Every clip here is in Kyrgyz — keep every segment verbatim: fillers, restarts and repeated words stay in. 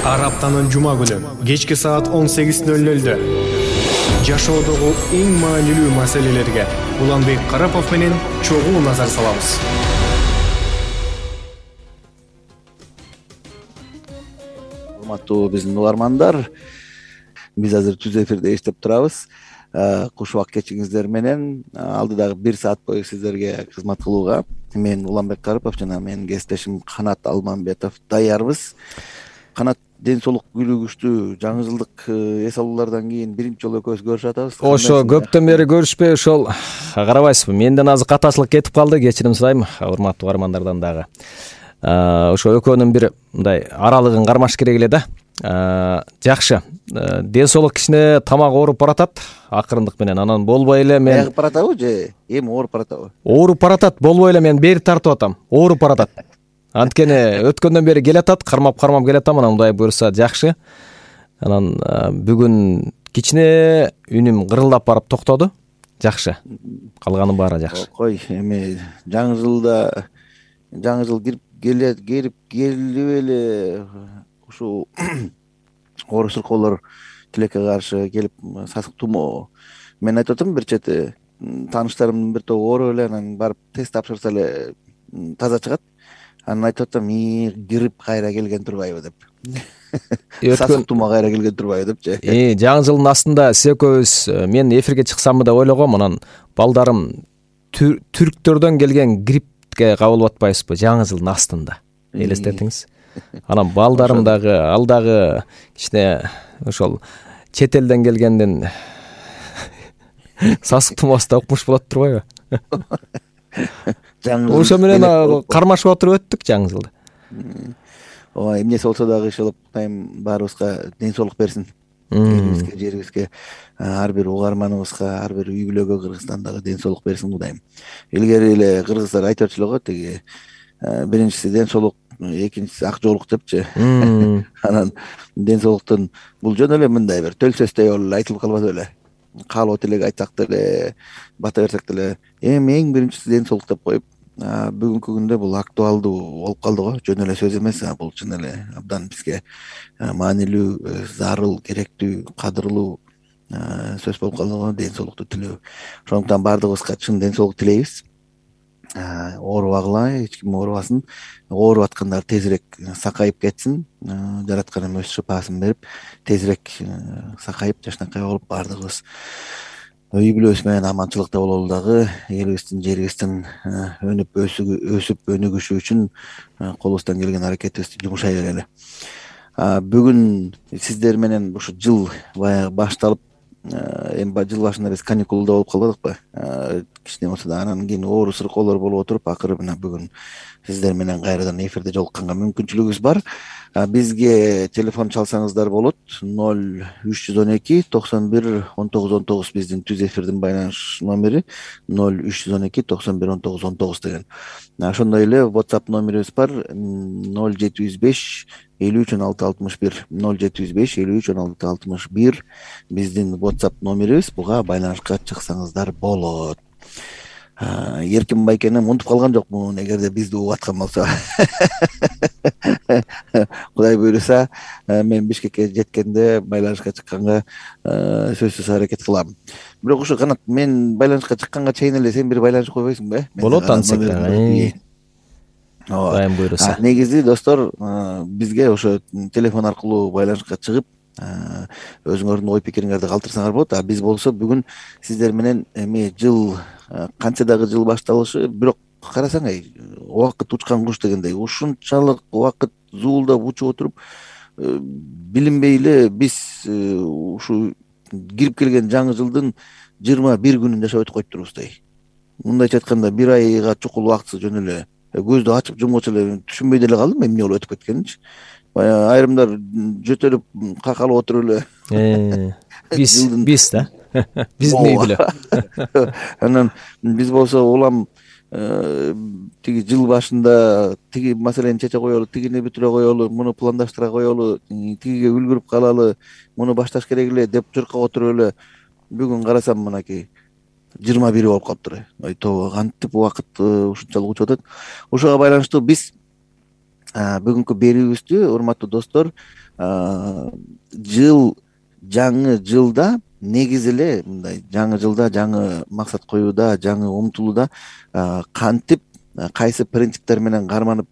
Ар аптанын жума күнү кечки саат он сегиз ноль нольдө жашоодогу эң маанилүү маселелерге Уланбек Карапов менен чогуу назар салабыз. Урматтуу биздин угармандар, биз азыр түз эфирде иштеп турабыз. Куш убак кечиңиздер менен алдыдагы бир саат бою сиздерге кызмат кылууга мен Уланбек Карапов жана менин кесиптешим Канат Алмамбетов даярбыз. Канат, ден соолук күлүгүчтүү жаңы жылдык эс алуулардан кийин биринчи жолу экөөбүз көрүшүп атабыз. Ошо көптөн бери көрүшпөй ошол карабайсызбы, менден азыр катаачылык кетип калды, кечирим сурайм урматтуу угармандардан дагы. Ошо экөөнүн бир мындай аралыгын кармаш керек эле да. Жакшы, ден соолук кичине тамак ооруп баратат акырындык менен, анан болбой эле мен аягы баратабы же эми ооруп баратабы? Ооруп баратат, болбой эле мен бери тартып атам, ооруп баратат. Анткени өткөндөн бери келатат, кармап-кармап келатам, анан мындай буюрса жакшы. Анан бүгүн кичине үнүм кырылдап барып токтоду. Жакшы. Калганын баары жакшы. Кой, эми жаңы жылда жаңы жыл кирип келет, келип келип эле ушул оору сыркоолор тилекке каршы келип сасык тумоо. Мен айтып атам, бир чети тааныштарымдын бир тобу ооруп эле анан барып тест тапшырса эле таза чыгат. Анан айтып атам, ии кирип кайра келген турбайбы деп. Сасык тумоо кайра келген турбайбы депчи. Э, жаңы жылдын астында сиз экөөбүз мен эфирге чыксамбы деп ойлогом, анан балдарым түрктөрдөн келген гриппке кабылып атпайсызбы жаңы жылдын астында. Элестетиңиз. Анан балдарым дагы ал дагы кичине ошол чет элден келгенден сасык тумоосу укмуш болот турбайбы? Ошо менен кармашып отуруп өттүк жаңы жылды. Ооба, эмнеси болсо дагы иншалла Кудайым баарыбызга ден соолук берсин. Элибизге, жерибизге, ар бир угарманыбызга, ар бир үй бүлөгө Кыргызстандагы ден соолук берсин Кудайым. Илгери эле кыргыздар айтып атчу эле го, тиги биринчиси ден соолук, экинчиси ак жоолук депчи. Анан ден соолуктун бул жөн эле мындай бир төл сөздөй болуп айтылып калбады беле. Каалоо тилек айтсак деле, бата берсек деле, эми эң биринчиси ден соолук деп коюп, бүгүнкү күндө бул актуалдуу болуп калды го. Жөн эле сөз эмес, бул чын эле абдан бизге маанилүү, зарыл, керектүү, кадырлуу сөз болуп калды го, ден соолукту тилөө. Ошондуктан баардыгыбызга чын ден соолук тилейбиз. Оорубагыла, эч ким оорубасын. Ооруп аткандар тезирээк сакайып кетсин. Жараткан өз шыпаасын берип, тезирээк сакайып, жакшынакай болуп баардыгыбыз үй бүлөбүз менен аманчылыкта бололу дагы, элибиздин, жерибиздин өнүп өсүп өнүгүшү үчүн колубуздан келген аракетибизди жумшай берели. Бүгүн сиздер менен ушу жыл баягы башталып, эми жыл башында биз каникулда болуп калбадыкпы? Кичине болсо да анан кийин оору сыркоолор болуп отуруп, акыры мына бүгүн сиздер менен кайрадан эфирде жолукканга мүмкүнчүлүгүбүз бар. Бизге телефон чалсаңыздар болот. ноль үч жүз он эки токсон бир он тогуз он тогуз биздин түз эфирдин байланыш номери. ноль үч жүз он эки токсон бир он тогуз он тогуз деген. Ошондой эле WhatsApp номерибиз бар. ноль жети жүз беш элүү үч он алты алтымыш бир ноль жети жүз беш элүү үч он алты алтымыш бир биздин WhatsApp номерибиз. Буга байланышка чыксаңыздар болот. Эркин Байкеним унутуп калган жокмун, эгерде бизди угуп аткан болсо. Кудай буйруса, мен Бишкекке жеткенде байланышка чыкканга сөзсүз аракет кылам. Бирок ушу Канат, мен байланышка чыкканга чейин эле сен бир байланышып койбойсуңбу, э? Болот ансек да. Кудай буйруса. Негизи достор, бизге ошо телефон аркылуу байланышка чыгып, өзүңөрдүн ой пикириңерди калтырсаңар болот. А биз болсо бүгүн сиздер менен эми жыл канча дагы жыл башталышы, бирок карасаң, убакыт учкан куш дегендей, ушунчалык убакыт зуулдап учуп отуруп, билинбей эле биз ушу кирип келген жаңы жылдын жыйырма бир күнүн жашап өтүп коюптурбуздай. Мындайча айтканда, бир айга чукул убактысы жөн эле көздү ачып жумгучу эле түшүнбөй деле калдым эмне болуп өтүп кеткенинчи. Айрымдар жөтөлүп какалып отуруп эле. Биз биз да. Биздин үй бүлө. Анан биз болсо улам тиги жыл башында тиги маселени чече коелу, тигини бүтүрө коелу, муну пландаштыра коелу, тигиге үлгүрүп калалы, муну башташ керек эле деп жыркап отуруп эле бүгүн карасам мынакей жыйырма бири болуп калыптыр. Ой тобо, кантип убакыт ушунчалык учуп атат. Ошого байланыштуу биз бүгүнкү берүүбүздү урматтуу достор, жыл жаңы жылда негизи эле мындай жаңы жылда жаңы максат коюуда, жаңы умтулууда кантип кайсы принциптер менен карманып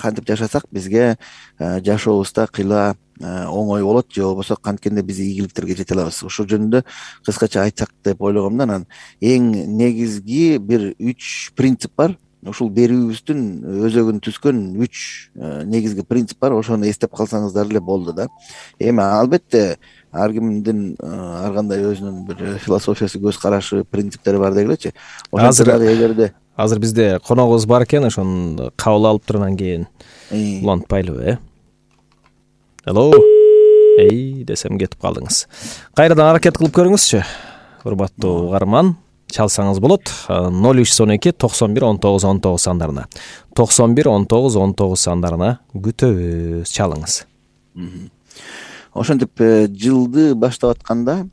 кантип жашасак бизге жашообузда кыйла оңой болот, же болбосо канткенде биз ийгиликтерге жете алабыз. Ошол жөнүндө кыскача айтсак деп ойлогом да. Анан эң негизги бир үч принцип бар. Ушул берүүбүздүн өзөгүн түзгөн үч негизги принцип бар. Ошону эстеп калсаңыздар эле болду да. Эми албетте ар кимдин ар кандай өзүнүн бир философиясы, көз карашы, принциптери бар дегилечи. Азыр эгерде азыр бизде коногубуз бар экен, ошону кабыл алып туруп анан кийин улантпайлыбы, э? Алло. Эй, десем кетип калдыңыз. Кайрадан аракет кылып көрүңүзчү. Урматтуу угарман, чалсаңыз болот. ноль үч он эки токсон бир он тогуз он тогуз сандарына. токсон бир он тогуз он тогуз сандарына күтөбүз. Чалыңыз. Ошентип жылды баштап атканда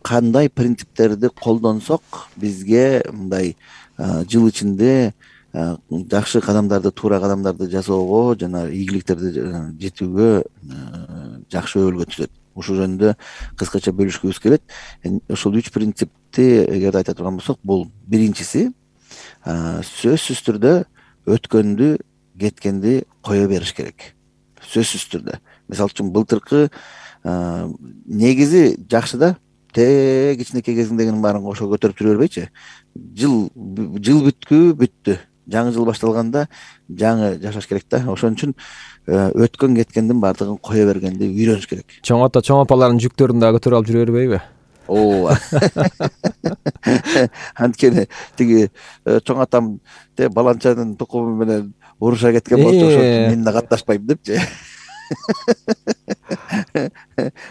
кандай принциптерди колдонсок бизге мындай жыл ичинде жакшы кадамдарды, туура кадамдарды жасоого жана ийгиликтерди жетүүгө жакшы өбөлгө түзөт. Ушул жөнүндө кыскача бөлүшкүбүз келет. Ошол үч принципти эгерде айта турган болсок, бул биринчиси сөзсүз түрдө өткөндү, кеткенди кое бериш керек. Сөзсүз түрдө. Мисалы үчүн былтыркы негизи жакшы да, те кичинекей кезиңдегинин баарын кошо көтөрүп жүрө бербейчи. Жыл жыл бүткү бүттү. Жаңы жыл башталганда жаңы жашаш керек да. Ошон үчүн өткөн кеткендин баардыгын кое бергенди үйрөнүш керек. Чоң ата чоң апалардын жүктөрүн дагы көтөрүп алып жүрө бербейби? Ооба. Анткени тиги чоң атам те баланчанын тукуму менен уруша кеткен болчу, ошон үчүн мен да катнашпайм депчи.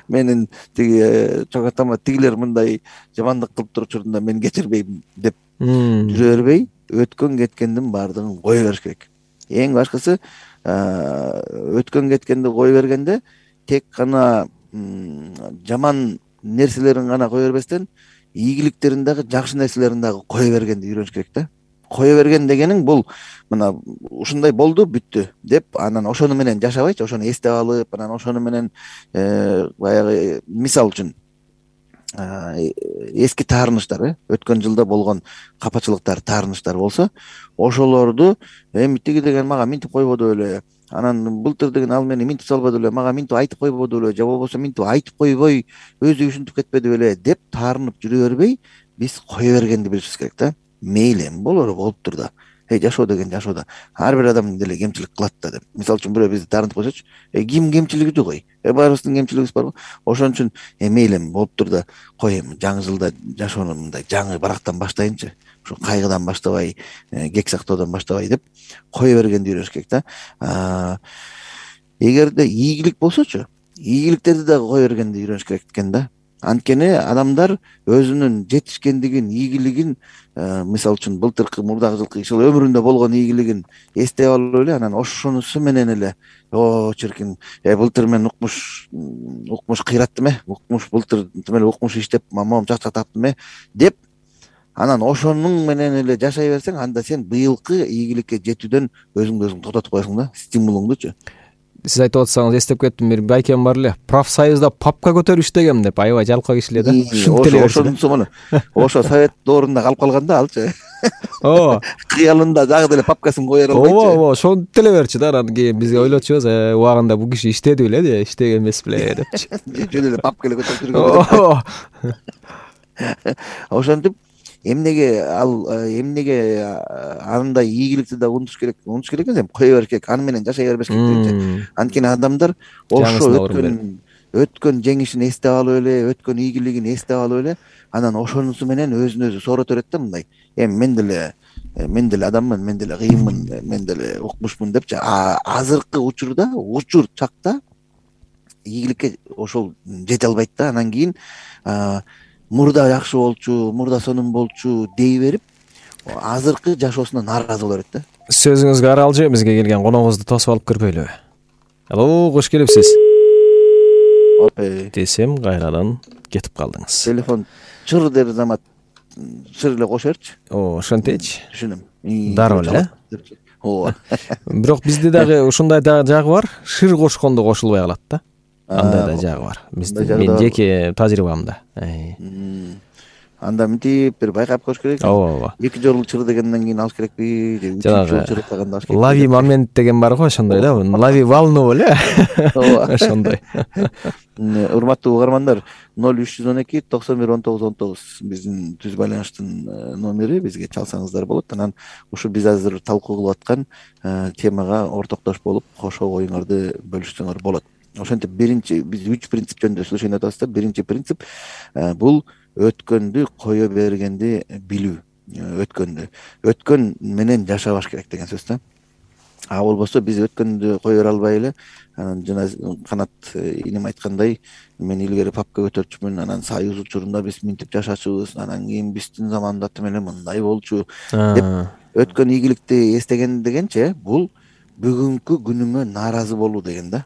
Менин тиги чоң атама тигилер мындай жамандык кылып туруп учурунда мен кечирбейм деп жүрө бербей, өткөн кеткендин баардыгын кое бериш керек. Эң башкысы өткөн кеткенди кое бергенде тек гана жаман нерселерин гана кое бербестен, ийгиликтерин дагы, жакшы нерселерин дагы кое бергенди үйрөнүш керек да. Кое берген дегениң бул мына ушундай болду, бүттү деп анан ошону менен жашабайчы, ошону эстеп алып, анан ошону менен баягы мисал үчүн эски таарынычтар, э, өткөн жылда болгон капачылыктар, таарынычтар болсо, ошолорду эми тиги деген мага минтип койбоду эле, анан былтыр деген ал мени минтип салбады эле, мага минтип айтып койбоду эле, же болбосо минтип айтып койбой өзү ушинтип кетпеди беле деп таарынып жүрө бербей, биз кое бергенди билишибиз керек да. Мейли эми болоору болуптур да. Эй, жашоо деген жашоодо ар бир адам деле кемчилик кылат да деп. Мисалы үчүн бирөө бизди таарынтып койсочу, э ким кемчилиги жок ой. Э баарыбыздын кемчилигибиз барбы? Ошон үчүн э мейли эми болуптур да, кой эми жаңы жылда жашоону мындай жаңы барактан баштайынчы. Ушу кайгыдан баштабай, кек сактоодон баштабай деп кое бергенди үйрөнүш керек да. Эгерде ийгилик болсочу, ийгиликтерди дагы кое бергенди үйрөнүш керек экен да. Анткени адамдар өзүнүн жетишкендигин, ийгилигин, мисалы үчүн былтыркы, мурдагы жылкы ишыл өмүрүндө болгон ийгилигин эстеп алып эле, анан ошонусу менен эле о чиркин, э былтыр мен укмуш укмуш кыйраттым э, укмуш былтыр эле укмуш иштеп мамам чакчак таптым э деп анан ошонун менен эле жашай берсең, анда сен быйылкы ийгиликке жетүүдөн өзүңдү өзүң токтотуп коесуң да, стимулуңдучу. Сиз айтып атсаңыз эстеп кеттим, бир байкем бар эле, профсоюзда папка көтөрүп иштегем деп, аябай жалкоо киши эле да. Ошонусу муну ошо совет доорунда калып калган да алчы. Ооба. Кыялында дагы деле папкасын кое албайчы. Ооба, ооба, ошону деле берчи да, анан кийин бизге ойлочубуз, э, убагында бул киши иштеди беле де, иштеген эмес беле депчи. Жөн эле папка эле көтөрүп жүргөн. Ошентип эмнеге ал эмнеге андай ийгиликти да унутуш керек, унутуш керек эмес, кое бериш керек, аны менен жашай бербеш керек дегенчи. Анткени адамдар ошо өткөн өткөн жеңишин эстеп алып эле, өткөн ийгилигин эстеп алып эле, анан ошонусу менен өзүн өзү соорото берет да, мындай. Эми мен деле мен деле адаммын, мен деле кыйынмын, мен деле укмушмун депчи. Азыркы учурда, учур чакта ийгиликке ошол жете албайт да. Анан кийин мурда жакшы болчу, мурда сонун болчу дей берип, азыркы жашоосуна нааразы боло берет да. Сөзүңүзгө аралжы, бизге келген коногубузду тосуп алып кирбейлиби? Алло, кош келипсиз. Опе. Десем, кайрадан кетип калдыңыз. Телефон чыр дер замат чыр эле кошо берчи. О, ошентечи. Түшүнөм. Дароо эле. ооба. Бирок бизде дагы ушундай дагы жагы бар, шыр кошкондо кошулбай калат да. Андай да жагы бар. Бизде мен жеке тажрыйбамда. Анда мынтип бир байкап коюш керек. Ооба, ооба. Эки жолу чыр дегенден кийин алыш керекпи же үчүнчү жолу чыр таганда алыш керекпи? Лави момент деген бар го, ошондой да. Лави волну эле. Ооба. Ошондой. Урматтуу угармандар, ноль үч жүз он эки токсон бир он тогуз он тогуз биздин түз байланыштын номери, бизге чалсаңыздар болот. Анан ушу биз азыр талкуу кылып аткан темага ортоктош болуп, кошо оюңарды бөлүшсөңөр болот. Ошентип биринчи биз үч принцип жөнүндө сүйлөшөйүн атабыз да. Биринчи принцип бул өткөндү кое бергенди билүү. Өткөндү өткөн менен жашабаш керек деген сөз да. А болбосо биз өткөндү кое бере албай эле, анан жана Канат инем айткандай, мен илгери папка көтөрчүмүн, анан Союз учурунда биз минтип жашачубуз, анан кийин биздин заманда тимеле мындай болчу деп өткөн ийгиликти эстеген дегенче, бул бүгүнкү күнүңө нааразы болуу деген да.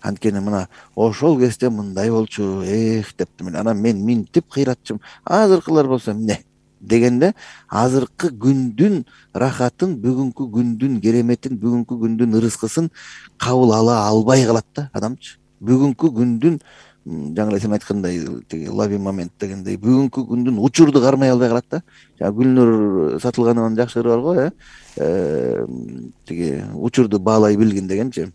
Анткени мына ошол кезде мындай болчу, эх дептим эле. Анан мен минтип кыйратчым, азыркылар болсо эмне дегенде, азыркы күндүн рахатын, бүгүнкү күндүн кереметин, бүгүнкү күндүн ырыскысын кабыл ала албай калат да адамчы. Бүгүнкү күндүн жаңы эле сен айткандай тиги лави момент дегендей, бүгүнкү күндүн учурду кармай албай калат да. Жана Гүлнур Сатылганованын жакшы ыры бар го, э тиги учурду баалай билгин дегенчи.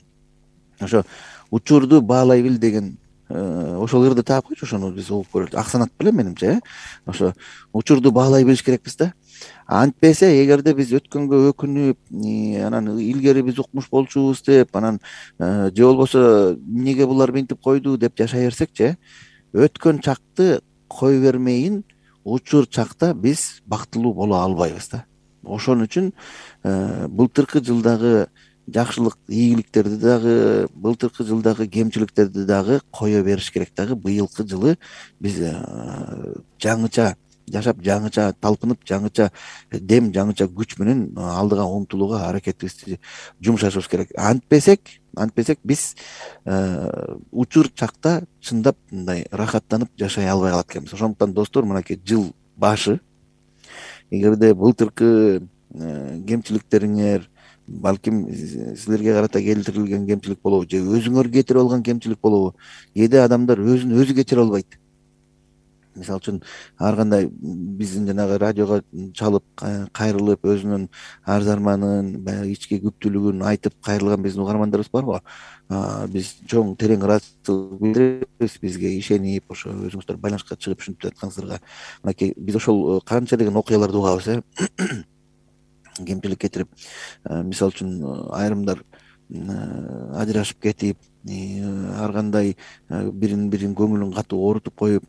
Ошо учурду баалай бил деген ошол ырды таап койчу, ошону биз угуп көрөлү. Аксанат белем менимче, э ошо учурду баалай билиш керекпиз да. Антпесе, эгерде биз өткөнгө өкүнүп, анан илгери биз укмуш болчубуз деп, анан же болбосо эмнеге булар минтип койду деп жашай берсекчи, өткөн чакты кое бермейин, учур чакта биз бактылуу боло албайбыз да. Ошон үчүн былтыркы жылдагы жакшылык, ийгиликтерди дагы, былтыркы жылдагы кемчиликтерди дагы кое бериш керек дагы. Быйылкы жылы биз жаңыча жашап, жаңыча талпынып, жаңыча дем, жаңыча күч менен алдыга умтулууга аракетибизди жумшашыбыз керек. Антпесек, антпесек биз учур чакта чындап мындай рахаттанып жашай албай калат экенбиз. Ошондуктан достор, мынакей жыл башы, эгерде былтыркы кемчиликтериңер, балким силерге карата келтирилген кемчилик болобу, же өзүңөр кетирип алган кемчилик болобу, кээде адамдар өзүн өзү кечире албайт. Мисалы үчүн ар кандай биздин жанагы радиого чалып кайрылып, өзүнүн арзарманын, баягы ички күптүүлүгүн айтып кайрылган биздин угармандарыбыз бар го. Биз чоң терең ыраазычылык билдиребиз, бизге ишенип, ошо өзүңүздөр байланышка чыгып ушинтип жатканыңыздарга. Мынакей биз ошол канча деген окуяларды угабыз, э кемчилик кетирип, мисалы үчүн айрымдар ажырашып кетип, ар кандай бирин бирин көңүлүн катуу оорутуп коюп,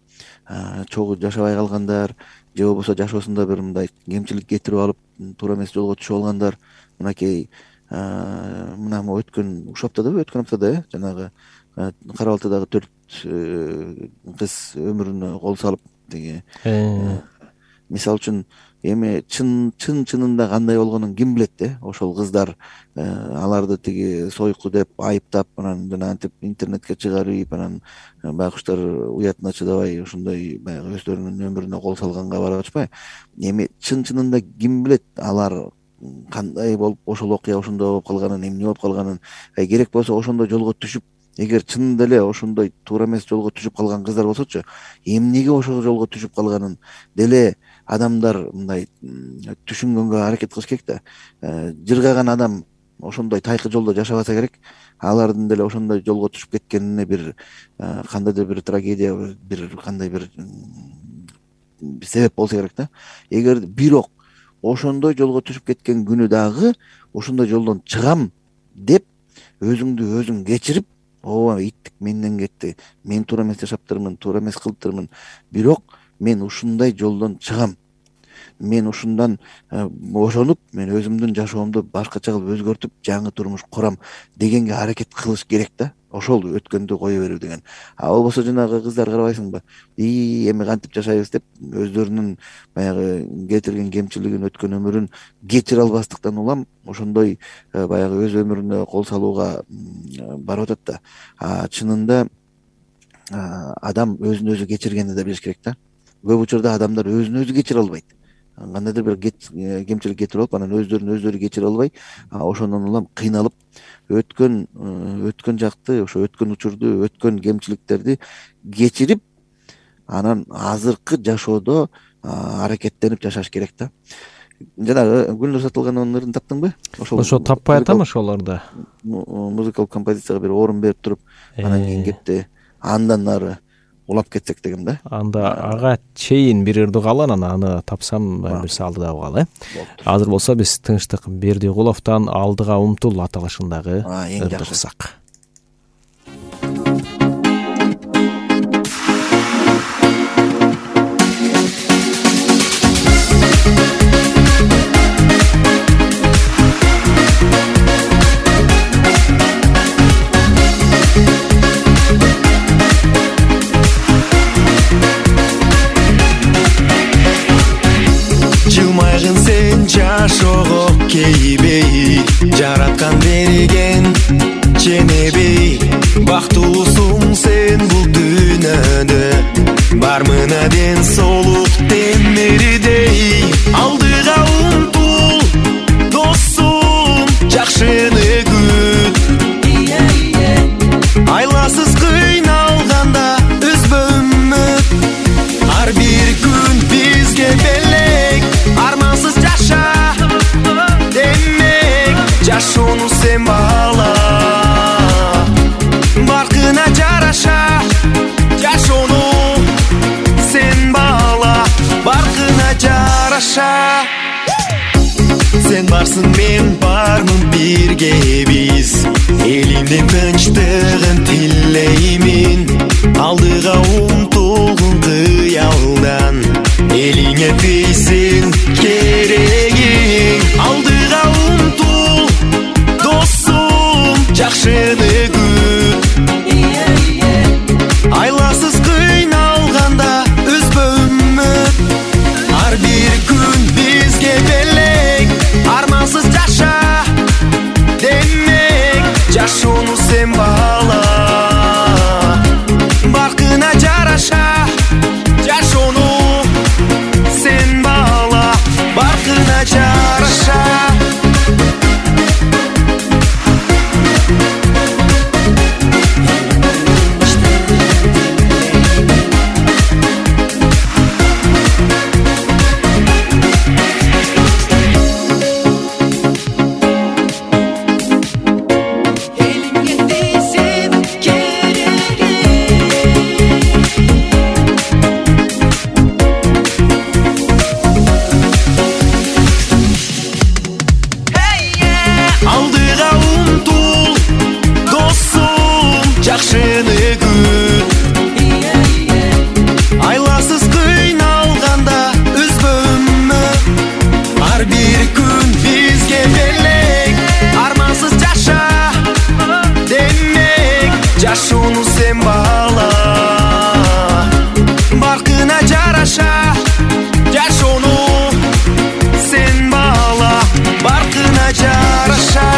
чогуу жашабай калгандар, же болбосо жашоосунда бир мындай кемчилик кетирип алып, туура эмес жолго түшүп алгандар. Мынакей мына өткөн ушул аптадабы, өткөн аптада э жанагы Кара Балтадагы төрт кыз өмүрүнө кол салып, тиги мисалы үчүн эми чын чын чынында кандай болгонун ким билет э ошол кыздар аларды тиги сойку деп айыптап, анан жана антип интернетке чыгарып, анан байкуштар уятына чыдабай ошондой баягы өздөрүнүн өмүрүнө кол салганга барып атышпайбы. Эми чын чынында ким билет алар кандай болуп ошол окуя ошондой болуп калганын, эмне болуп калганын. Керек болсо ошондой жолго түшүп, эгер чынында эле ошондой туура эмес жолго түшүп калган кыздар болсочу, эмнеге ошол жолго түшүп калганын деле адамдар мындай түшүнгөнгө аракет кылыш керек да. Жыргаган адам ошондой тайкы жолдо жашабаса керек, алардын деле ошондой жолго түшүп кеткенине бир кандайдыр бир трагедия, бир кандай бир себеп болсо керек да. Эгер бирок ошондой жолго түшүп кеткен күнү дагы ошондой жолдон чыгам деп өзүңдү өзүң кечирип, ооба иттик менден кетти, мен туура эмес жашаптырмын, туура эмес кылыптырмын, бирок мен ушундай жолдон чыгам, мен ушундан бошонуп, мен өзүмдүн жашоомду башкача кылып өзгөртүп, жаңы турмуш курам дегенге аракет кылыш керек да. Ошол өткөндү кое берүү деген. А болбосо жанагы кыздар карабайсыңбы, ии эми кантип жашайбыз деп өздөрүнүн баягы кетирген кемчилигин, өткөн өмүрүн кечире албастыктан улам ошондой баягы өз өмүрүнө кол салууга барып атат да. А чынында адам өзүн өзү кечиргенди да билиш керек да. Көп учурда адамдар өзүн өзү кечире албайт. кандайдыр бир кемчилик кетирип алып анан өздөрүн өздөрү кечире албай ошондон улам кыйналып өткөн өткөн жакты ошо өткөн учурду өткөн кемчиликтерди кечирип анан азыркы жашоодо аракеттенип жашаш керек да. Жанагы Гүлнур Сатылгановдун ырын таптыңбы? Ошо таппай атам ошолорду. Музыкалык композицияга бир орун берип туруп анан кийин кетти андан нары улап кетсек дегем да. Анда ага чейин бир ырды калган, анан аны тапсам бир салды да калган, э. Азыр болсо биз Тынчтык Бердикуловдон Алдыга умтул аталышындагы ырды кылсак. Жашоого кейбей жараткан берген ченебей бактылуусуң сен бул дүйнөдө бармына ден соолук темирдей алдыга умтул досум жакшыны күт айласыз кыйналганда үзбө үмүт ар бир күн бизге белек армансыз жаша демек жашоону сен баала баркына жараша жашоону сен баала баркына жараша сен барсың мен бармын бирге биз элимдин тынчтыгын тилеймин алдыга умтулгун кыялдан элиңе тийсин керегиң алдыга умтул досум жакшыны күт айласыз кыйналганда үзбө үмүт ар бир күн бизге белек армансыз жаша демек жашоону сен баала баркына жараша жашоону сен баала баркына жараша жашоону сен баала баркына жараша жашоону сен баала баркына жараша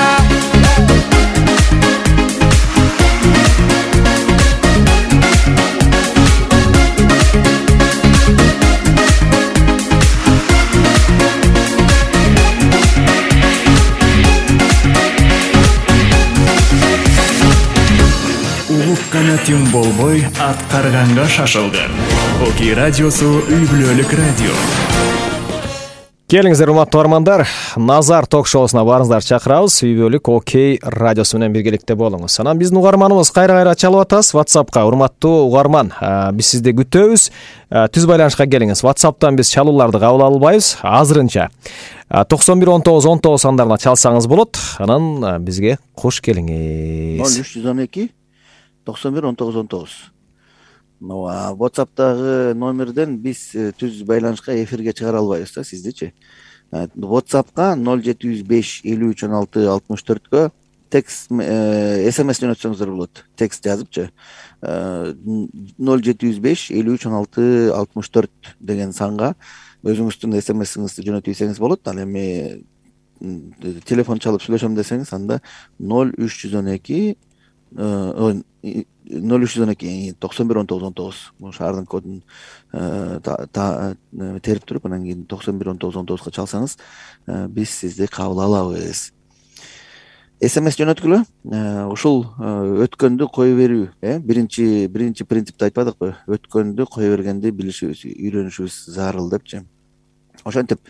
Канатың болбой аткарганга шашылган. Окей радиосу үй бүлөлүк радио. Келиңиздер, урматтуу угармандар, Назар ток-шоусуна барыңыздар чакырабыз. Үй бүлөлүк Окей радиосу менен биргеликте болуңуз. Анан биздин угарманыбыз кайра-кайра чалып атабыз. WhatsAppка урматтуу угарман, биз сизди күтөбүз. Түз байланышка келиңиз. WhatsApp'тан биз чалууларды кабыл албайбыз азырынча. токсон бир он тогуз он тогуз сандарына чалсаңыз болот. Анан бизге кош келиңиз. ноль үч жүз он эки токсон бир он тогуз он тогуз. WhatsApp'тагы номерден биз түз байланышка эфирге чыгара албайбыз да сиздичи. WhatsApp'ка ноль жети жүз беш элүү үч он алты алтымыш төрткө текст эс эм эс жөнөтсөңүздөр болот. Текст жазыпчы ноль жети жүз беш элүү үч он алты алтымыш төрт деген санга өзүңүздүн эс эм эсиңизди жөнөтүп ийсеңиз болот. Ал эми телефон чалып сүйлөшөм десеңиз анда ноль үч жүз он эки ноль үч жүз он эки токсон бир он тогуз он тогуз бул шаардын кодун терип туруп анан кийин токсон бир он тогуз он тогузга чалсаңыз биз сизди кабыл алабыз. смс жөнөткүлө ушул өткөндү кое берүү э биринчи биринчи принципти айтпадыкпы, өткөндү кое бергенди билишибиз, үйрөнүшүбүз зарыл депчи. Ошентип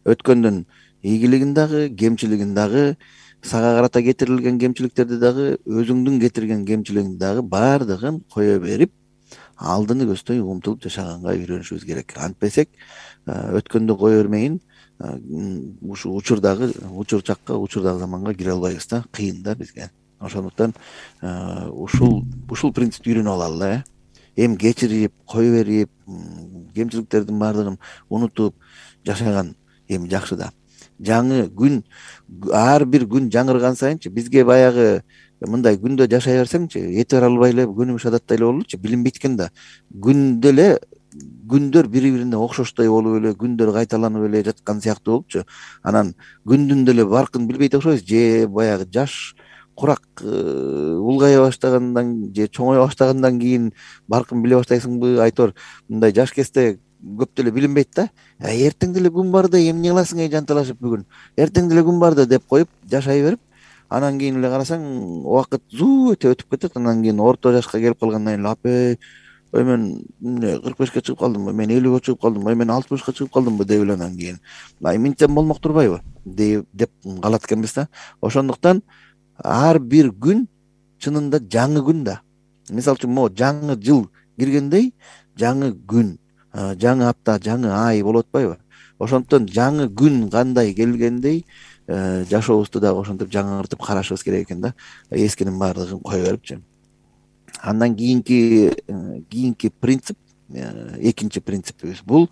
өткөндүн ийгилигин дагы кемчилигин дагы, сага карата кетирилген кемчиликтерди дагы, өзүңдүн кетирген кемчилигиңди дагы баардыгын кое берип, алдыны көздөй умтулуп жашаганга үйрөнүшүбүз керек. Антпесек өткөндү кое бермейин ушу учурдагы учурчакка, учурдагы заманга кире албайбыз да, кыйын да бизге. Ошондуктан ушул ушул принципти үйрөнүп алалы э. Эми кечирип, кое берип, кемчиликтердин баардыгын унутуп жашаган эми жакшы да. Жаңы күн, ар бир күн жаңырган сайынчы бизге баягы мындай күндө жашай берсеңчи, эти бара албай эле күнүмүш адаттай эле бололучу, билинбейт экен да. Күндө эле күндөр бири-бирине окшоштой болуп эле, күндөр кайталанып эле жаткан сыяктуу болупчу. Анан күндүн деле баркын билбейт окшойбуз, же баягы жаш курак улгая баштагандан же чоңоя баштагандан кийин баркын биле баштайсыңбы, айтор мындай жаш кезде көп деле билинбейт да. Эртең деле күн бар да, эмне кыласың эй жанталашып бүгүн? Эртең деле күн бар да деп коюп жашай берип, анан кийин эле карасаң убакыт зуу өтө өтүп кетет. Анан кийин орто жашка келип калгандан кийин апей, ой мен эмне кырк бешке чыгып калдымбы, мен элүүгө чыгып калдымбы, ой мен алтымышка чыгып калдымбы деп эле анан кийин ай минтсем болмок турбайбы деп калат экенбиз да. Ошондуктан ар бир күн чынында жаңы күн да. Мисалы үчүн могу жаңы жыл киргендей жаңы күн, жаңы апта, жаңы ай болуп атпайбы? Ошондуктан жаңы күн кандай келгендей жашообузду дагы ошентип жаңыртып карашыбыз керек экен да. Эскинин баардыгын кое берипчи. Андан кийинки кийинки принцип, экинчи принципибиз бул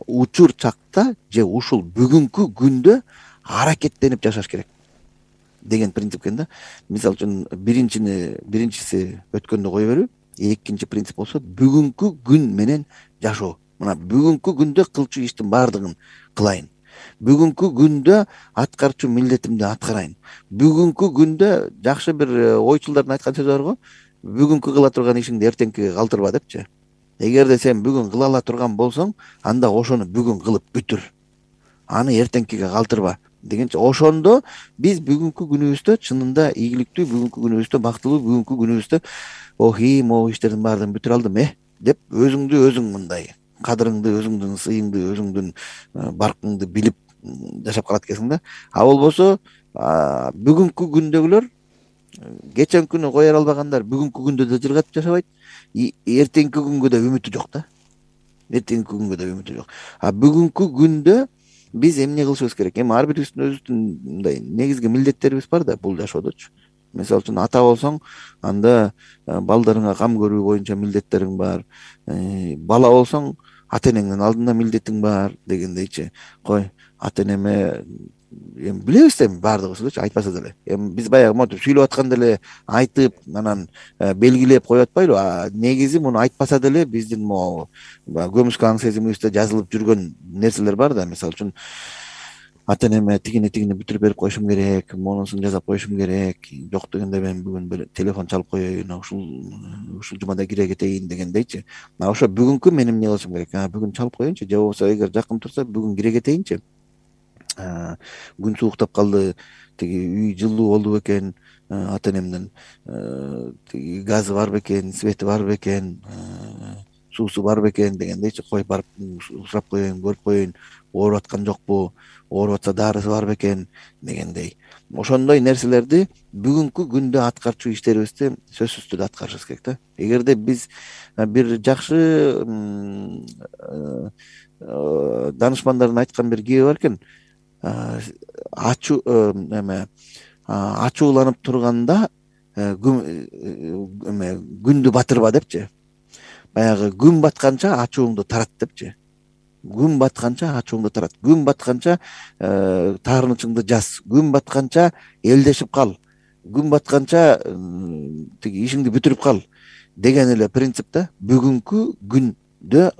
учур чакта же ушул бүгүнкү күндө аракеттенип жашаш керек деген принцип экен да. Мисалы үчүн биринчини биринчиси өткөндү кое берүү, экинчи принцип болсо бүгүнкү күн менен жашоо. Мына бүгүнкү күндө кылчу иштин баардыгын кылайын. Бүгүнкү күндө аткарчу милдетимди аткарайын. Бүгүнкү күндө жакшы бир ойчулдардын айткан сөзү бар го, бүгүнкү кыла турган ишиңди эртеңки калтырба депчи. Эгерде сен бүгүн кыла ала турган болсоң, анда ошону бүгүн кылып бүтүр. Аны эртеңкиге калтырба дегенче. Ошондо биз бүгүнкү күнүбүздө чынында ийгиликтүү, бүгүнкү күнүбүздө бактылуу, бүгүнкү күнүбүздө охи могу иштердин баардыгын бүтүрө алдым э деп өзүңдү өзүң мындай кадырыңды, өзүңдүн сыйыңды, өзүңдүн баркыңды билип жашап калат экенсиң да. А болбосо бүгүнкү күндөгүлөр кечен күнү кое албагандар бүгүнкү күндө да жыргатып жашабайт, эртеңки күнгө да үмүтү жок да. Эртеңки күнгө да үмүтү жок. А бүгүнкү күндө биз эмне кылышыбыз керек? Эми ар бирибиздин өзүбүздүн мындай негизги милдеттерибиз бар да бул жашоодочу. Мисалы үчүн ата болсоң, анда балдарыңа кам көрүү боюнча милдеттериң бар. Бала болсоң, ата энеңдин алдында милдетиң бар дегендейчи. Кой, ата энеме эми билебиз да баардыгыбызчы айтпаса деле. Эми биз баягы монтип сүйлөп атканда эле айтып, анан белгилеп коюп атпайлыбы? А негизи муну айтпаса деле биздин могу көмүскө аң сезимибизде жазылып жүргөн нерселер бар да. Мисалы үчүн ата энеме тигини тигини бүтүрүп берип коюшум керек, монусун жасап коюшум керек. Жок дегенде мен бүгүн телефон чалып коеюн, ушул ушул жумада кире кетейин дегендейчи. Мына ошо бүгүнкү мен эмне кылышым керек? Бүгүн чалып коеюнчу, же болбосо эгер жакын турса бүгүн кире кетейинчи. Күн сууктап калды, тиги үй жылуу болду бекен, ата энемдин тиги газы бар бекен, свети бар бекен, суусу бар бекен дегендейчи. Кой барып сурап коеюн, көрүп коеюн, ооруп аткан жокпу, ооруп атса дарысы бар бекен дегендей. Ошондой нерселерди бүгүнкү күндө аткарчу иштерибизди сөзсүз түрдө аткарышыбыз керек да. Эгерде биз бир жакшы данышмандардын айткан бир кеби бар экен, ачуу эме ачууланып турганда күндү батырба депчи. Баягы күн батканча ачууңду тарат депчи. Күн батканча ачууңду тарат. Күн батканча таарынычыңды жаз. Күн батканча элдешип кал. Күн батканча тиги ишиңди бүтүрүп кал деген эле принцип да. Бүгүнкү күндө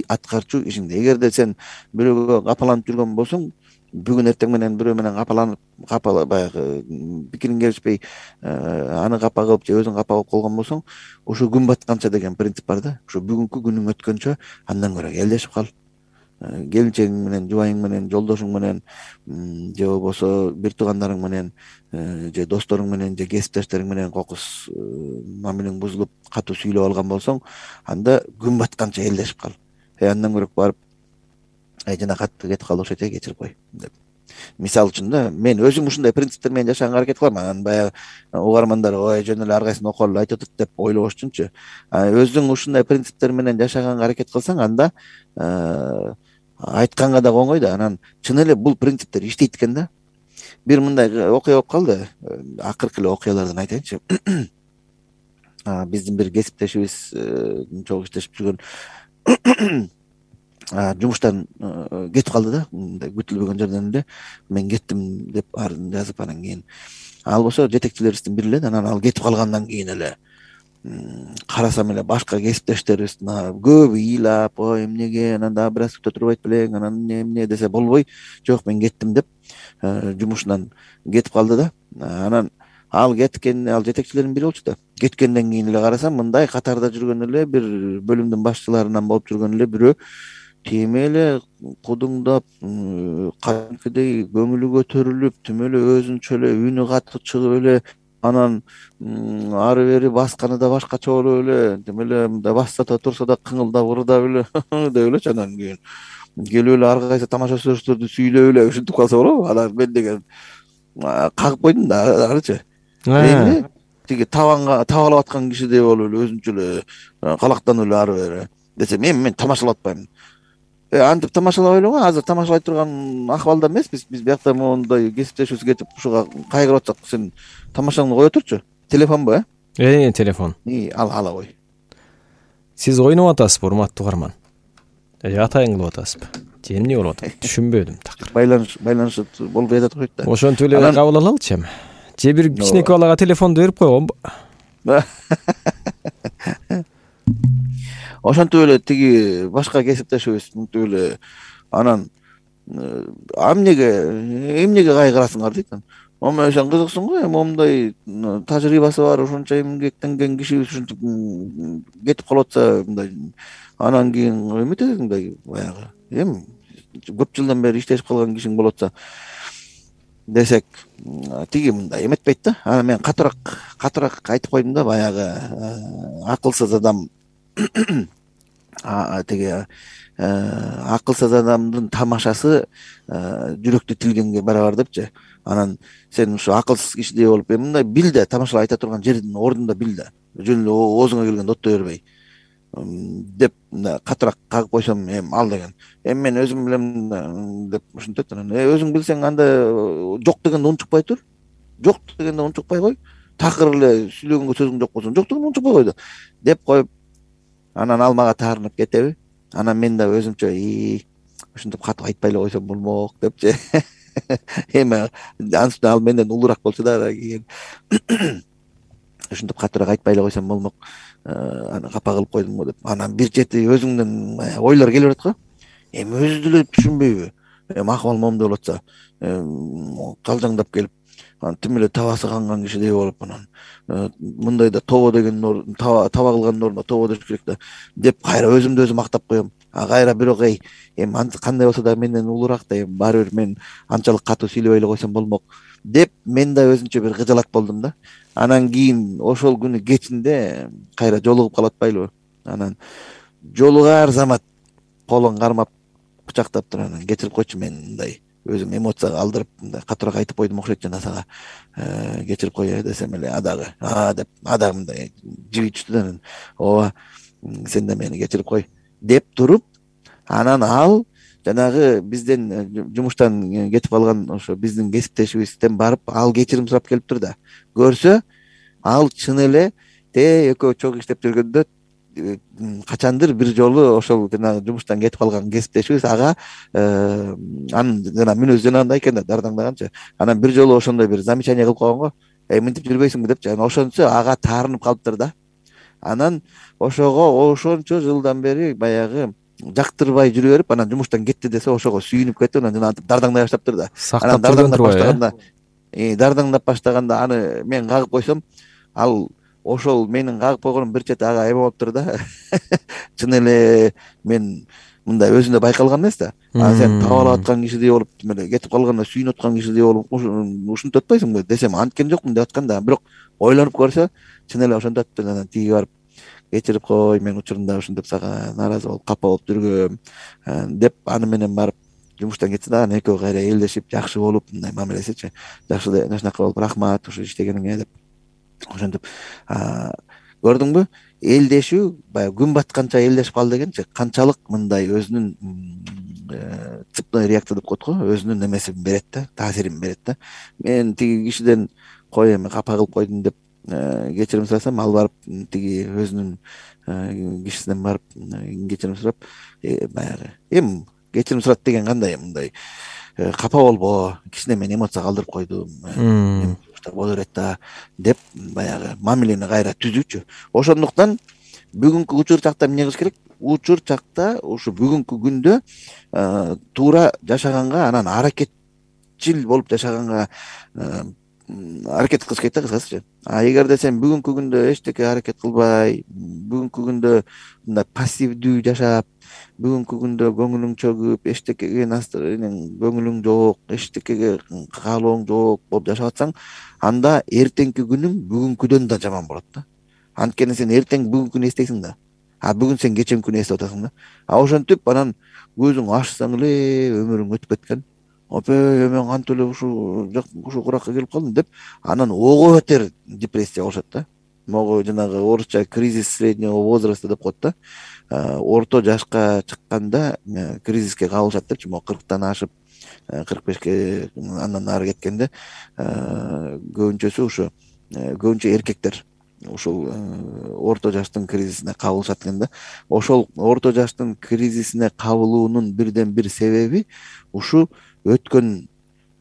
аткарчу ишиңди. Эгерде сен бирөөгө капаланып жүргөн болсоң, бүгүн эртең менен бирөө менен капаланып капа баягы пикириң келишпей аны капа кылып же өзүң капа кылып калган болсоң, ошо күн батканча деген принцип бар да. Ошо бүгүнкү күнүң өткөнчө андан көрө элдешип кал. Келинчегиң менен, жубайың менен, жолдошуң менен же болбосо бир туугандарың менен же досторуң менен же кесиптештериң менен кокус мамилең бузулуп катуу сүйлөп алган болсоң, анда күн батканча элдешип кал. Э андан көрөк барып ай жана катты кетип калды окшойт, э кечирип кой деп. Мисалы үчүн да, мен өзүм ушундай принциптер менен жашаганга аракет кылам. Анан баягы угармандар ой жөн эле ар кайсын окуп алып айтып атат деп ойлобош үчүнчү. Өзүң ушундай принциптер менен жашаганга аракет кылсаң, анда айтканга да оңой да. Анан чын эле бул принциптер иштейт экен да. Бир мындай окуя болуп калды. Акыркы эле окуялардан айтайынчы. Биздин бир кесиптешибиз чогуу иштешип жүргөн жумуштан кетип калды да. Мындай күтүлбөгөн жерден эле мен кеттим деп жазып, анан кийин ал болсо жетекчилерибиздин бири эле. Анан ал кетип калгандан кийин эле карасам эле башка кесиптештерибиздин көбү ыйлап, ой эмнеге, анан дагы бир аз күтө турбайт белең, анан эмне эмне десе болбой, жок мен кеттим деп жумушунан кетип калды да. Анан ал кеткен, ал жетекчилердин бири болчу да. Кеткенден кийин эле карасам, мындай катарда жүргөн эле бир бөлүмдүн башчыларынан болуп жүргөн эле бирөө тим эле кудуңдап, кадимкидей көңүлү көтөрүлүп, тим эле өзүнчө эле үнү катуу чыгып эле, анан ары бери басканы да башкача болуп эле, тим эле мындай басса да турса да кыңылдап ырдап эле деп элечи. Анан кийин келип эле ар кайсы тамаша сөздөрдү сүйлөп эле ушинтип калса болобу? Анан мен деген кагып койдум да арычы. Эмне тиги табанга табалап аткан кишидей болуп эле өзүнчө эле калактанып эле ары бери десем, эми мен тамашалап атпайм. Э антип тамашалабай эле го, азыр тамашалай турган акыбалда эмеспиз. Биз биякта моундай кесиптешибиз кетип ушуга кайгырып атсак, сен тамашаңды кое турчу. Телефонбу, э? Э, телефон. И ал ала кой. Сиз ойноп атасызбы, урматтуу угарман? Э, атайын кылып атасызбы? Же эмне болуп атат? Түшүнбөдүм такыр. Байланыш, байланыш болуп жатат окшойт да. Ошентип эле кабыл алалычы эми. Же бир кичинекей балага телефонду берип койгонбу? Ошентип эле тиги башка кесиптешибиз мынтип эле анан эмнеге эмнеге кайгырасыңар дейт. Ама сен кызыксың го, эми момундай тажрыйбасы бар, ошончо эмгектенген кишибиз ушинтип кетип калып атса, мындай анан кийин эметесиң мындай баягы эми көп жылдан бери иштешип калган кишиң болуп атса десек, тиги мындай эметпейт да. Анан мен катыраак катыраак айтып койдум да, баягы акылсыз адам тиги акылсыз адамдын тамашасы жүрөктү тилгенге барабар депчи. Анан сен ушу акылсыз кишидей болуп, эми мындай бил да, тамашалап айта турган жердин ордунда бил да. Жөн эле оозуңа келгенде оттой бербей деп катыраак кагып койсом, эми ал деген эми мен өзүм билем деп ушинтет. Анан өзүң билсең анда жок дегенде унчукпай тур. Жок дегенде унчукпай кой. Такыр эле сүйлөгөнгө сөзүң жок болсо, жок дегенде унчукпай кой деп коюп, анан ал мага таарынып кетеби. Анан мен да өзүмчө и ушинтип катып айтпай эле койсом болмок депчи. Эми ансыз ал менден улураак болчу да, кийин ушинтип катыраак айтпай эле койсом болмок, аны капа кылып койдум го деп. Анан бир чети өзүңдөн ойлор келип атат го. Эми өзү деле түшүнбөйбү? Эми акыбал момундай болуп атса, калжаңдап келип, анан тим эле табасы канган кишидей болуп, анан мындайда тобо деген таба таба кылгандын ордуна тобо деш керек да деп кайра өзүмдү өзүм мактап коем. А кайра бирок эй, эми кандай болсо да менден улураак да, эми баары бир мен анчалык катуу сүйлөбөй эле койсом болмок деп мен да өзүнчө бир кыжалат болдум да. Анан кийин ошол күнү кечинде кайра жолугуп калып атпайлыбы? Анан жолугар замат колун кармап кучактап туруп, анан кечирип койчу, мен мындай өзүм эмоцияга алдырып мындай катыраак айтып койдум окшойт жана сага кечирип кой десем эле, адагы а деп адагы мындай жиби түштү да. Ооба сен да мени кечирип кой деп туруп, анан ал жанагы бизден жумуштан кетип калган ошо биздин кесиптешибизден барып ал кечирим сурап келиптир да. Көрсө ал чын эле те экөө чогуу иштеп жүргөндө качандыр бир жолу ошол жанагы жумуштан кетип калган кесиптешибиз ага анын жана мүнөзү жанагындай экен да, дардаңдаганчы. Анан бир жолу ошондой бир замечание кылып койгон го. Эй, мынтип жүрбөйсүңбү депчи. Анан ошончо ага таарынып калыптыр да. Анан ошого ошончо жылдан бери баягы жактырбай жүрө берип анан жумуштан кетти десе ошого сүйүнүп кетип анан жана дардаңдай баштаптыр да. Сактап жүргөн турбайбы? Дардаңдап баштаганда аны мен кагып койсом, ал ошол менин кагып койгонум бир чети ага эме болуптур да. Чын эле мен мындай өзүндө байкалган эмес да. А сен табалап аткан кишидей болуп, эле кетип калганда сүйүнүп аткан кишидей болуп ушинтип атпайсыңбы десем, анткени жокмун деп аткан да. Бирок ойлонуп көрсө, чын эле ошентип атты. Анан тиги барып кечирип кой, мен учурунда ушинтип сага нааразы болуп капа болуп жүргөм деп аны менен барып жумуштан кетти да. Анан экөө кайра элдешип, жакшы болуп, мындай мамилесичи, жакшы жакшынакай болуп, рахмат ушу иштегениңе деп ошентип. Көрдүңбү? Элдешүү баягы күн батканча элдешип кал дегенчи, канчалык мындай өзүнүн цепной реакция деп коет го, өзүнүн эмесин берет да, таасирин берет да. Мен тиги кишиден кой эми капа кылып койдум деп кечирим сурасам, ал барып тиги өзүнүн кишисинен барып кечирим сурап, баягы эми кечирим сурат деген кандай, мындай капа болбо, кичине мен эмоция калтырып койдум, боло берет да деп баягы мамилени кайра түзүүчү. Ошондуктан бүгүнкү учур чакта эмне кылыш керек? Учур чакта ушу бүгүнкү күндө туура жашаганга, анан аракетчил болуп жашаганга аракет кылыш керек да, кыскасычы. А эгерде сен бүгүнкү күндө эчтеке аракет кылбай, бүгүнкү күндө мындай пассивдүү жашап, бүгүнкү күндө көңүлүң чөгүп, эчтекеге көңүлүң жок, эчтекеге каалооң жок болуп жашап атсаң, анда эртеңки күнүң бүгүнкүдөн да жаман болот да. Анткени сен эртең бүгүнкүнү эстейсиң да. А бүгүн сен кечемкүнү эстеп атасың да. А ошентип анан көзүң ачсаң эле өмүрүң өтүп кеткен. Опе, мен кантип эле ушу ушу куракка келип калдым деп анан ого бетер депрессия болушат да. Могу жанагы орусча кризис среднего возраста деп коет да. Орто жашка чыкканда кризиске кабылышат депчи, могу кырктан ашып кырк бешке андан нары кеткенде көбүнчөсү ушу көбүнчө эркектер ушул орто жаштын кризисине кабылышат экен да. Ошол орто жаштын кризисине кабылуунун бирден бир себеби ушу өткөн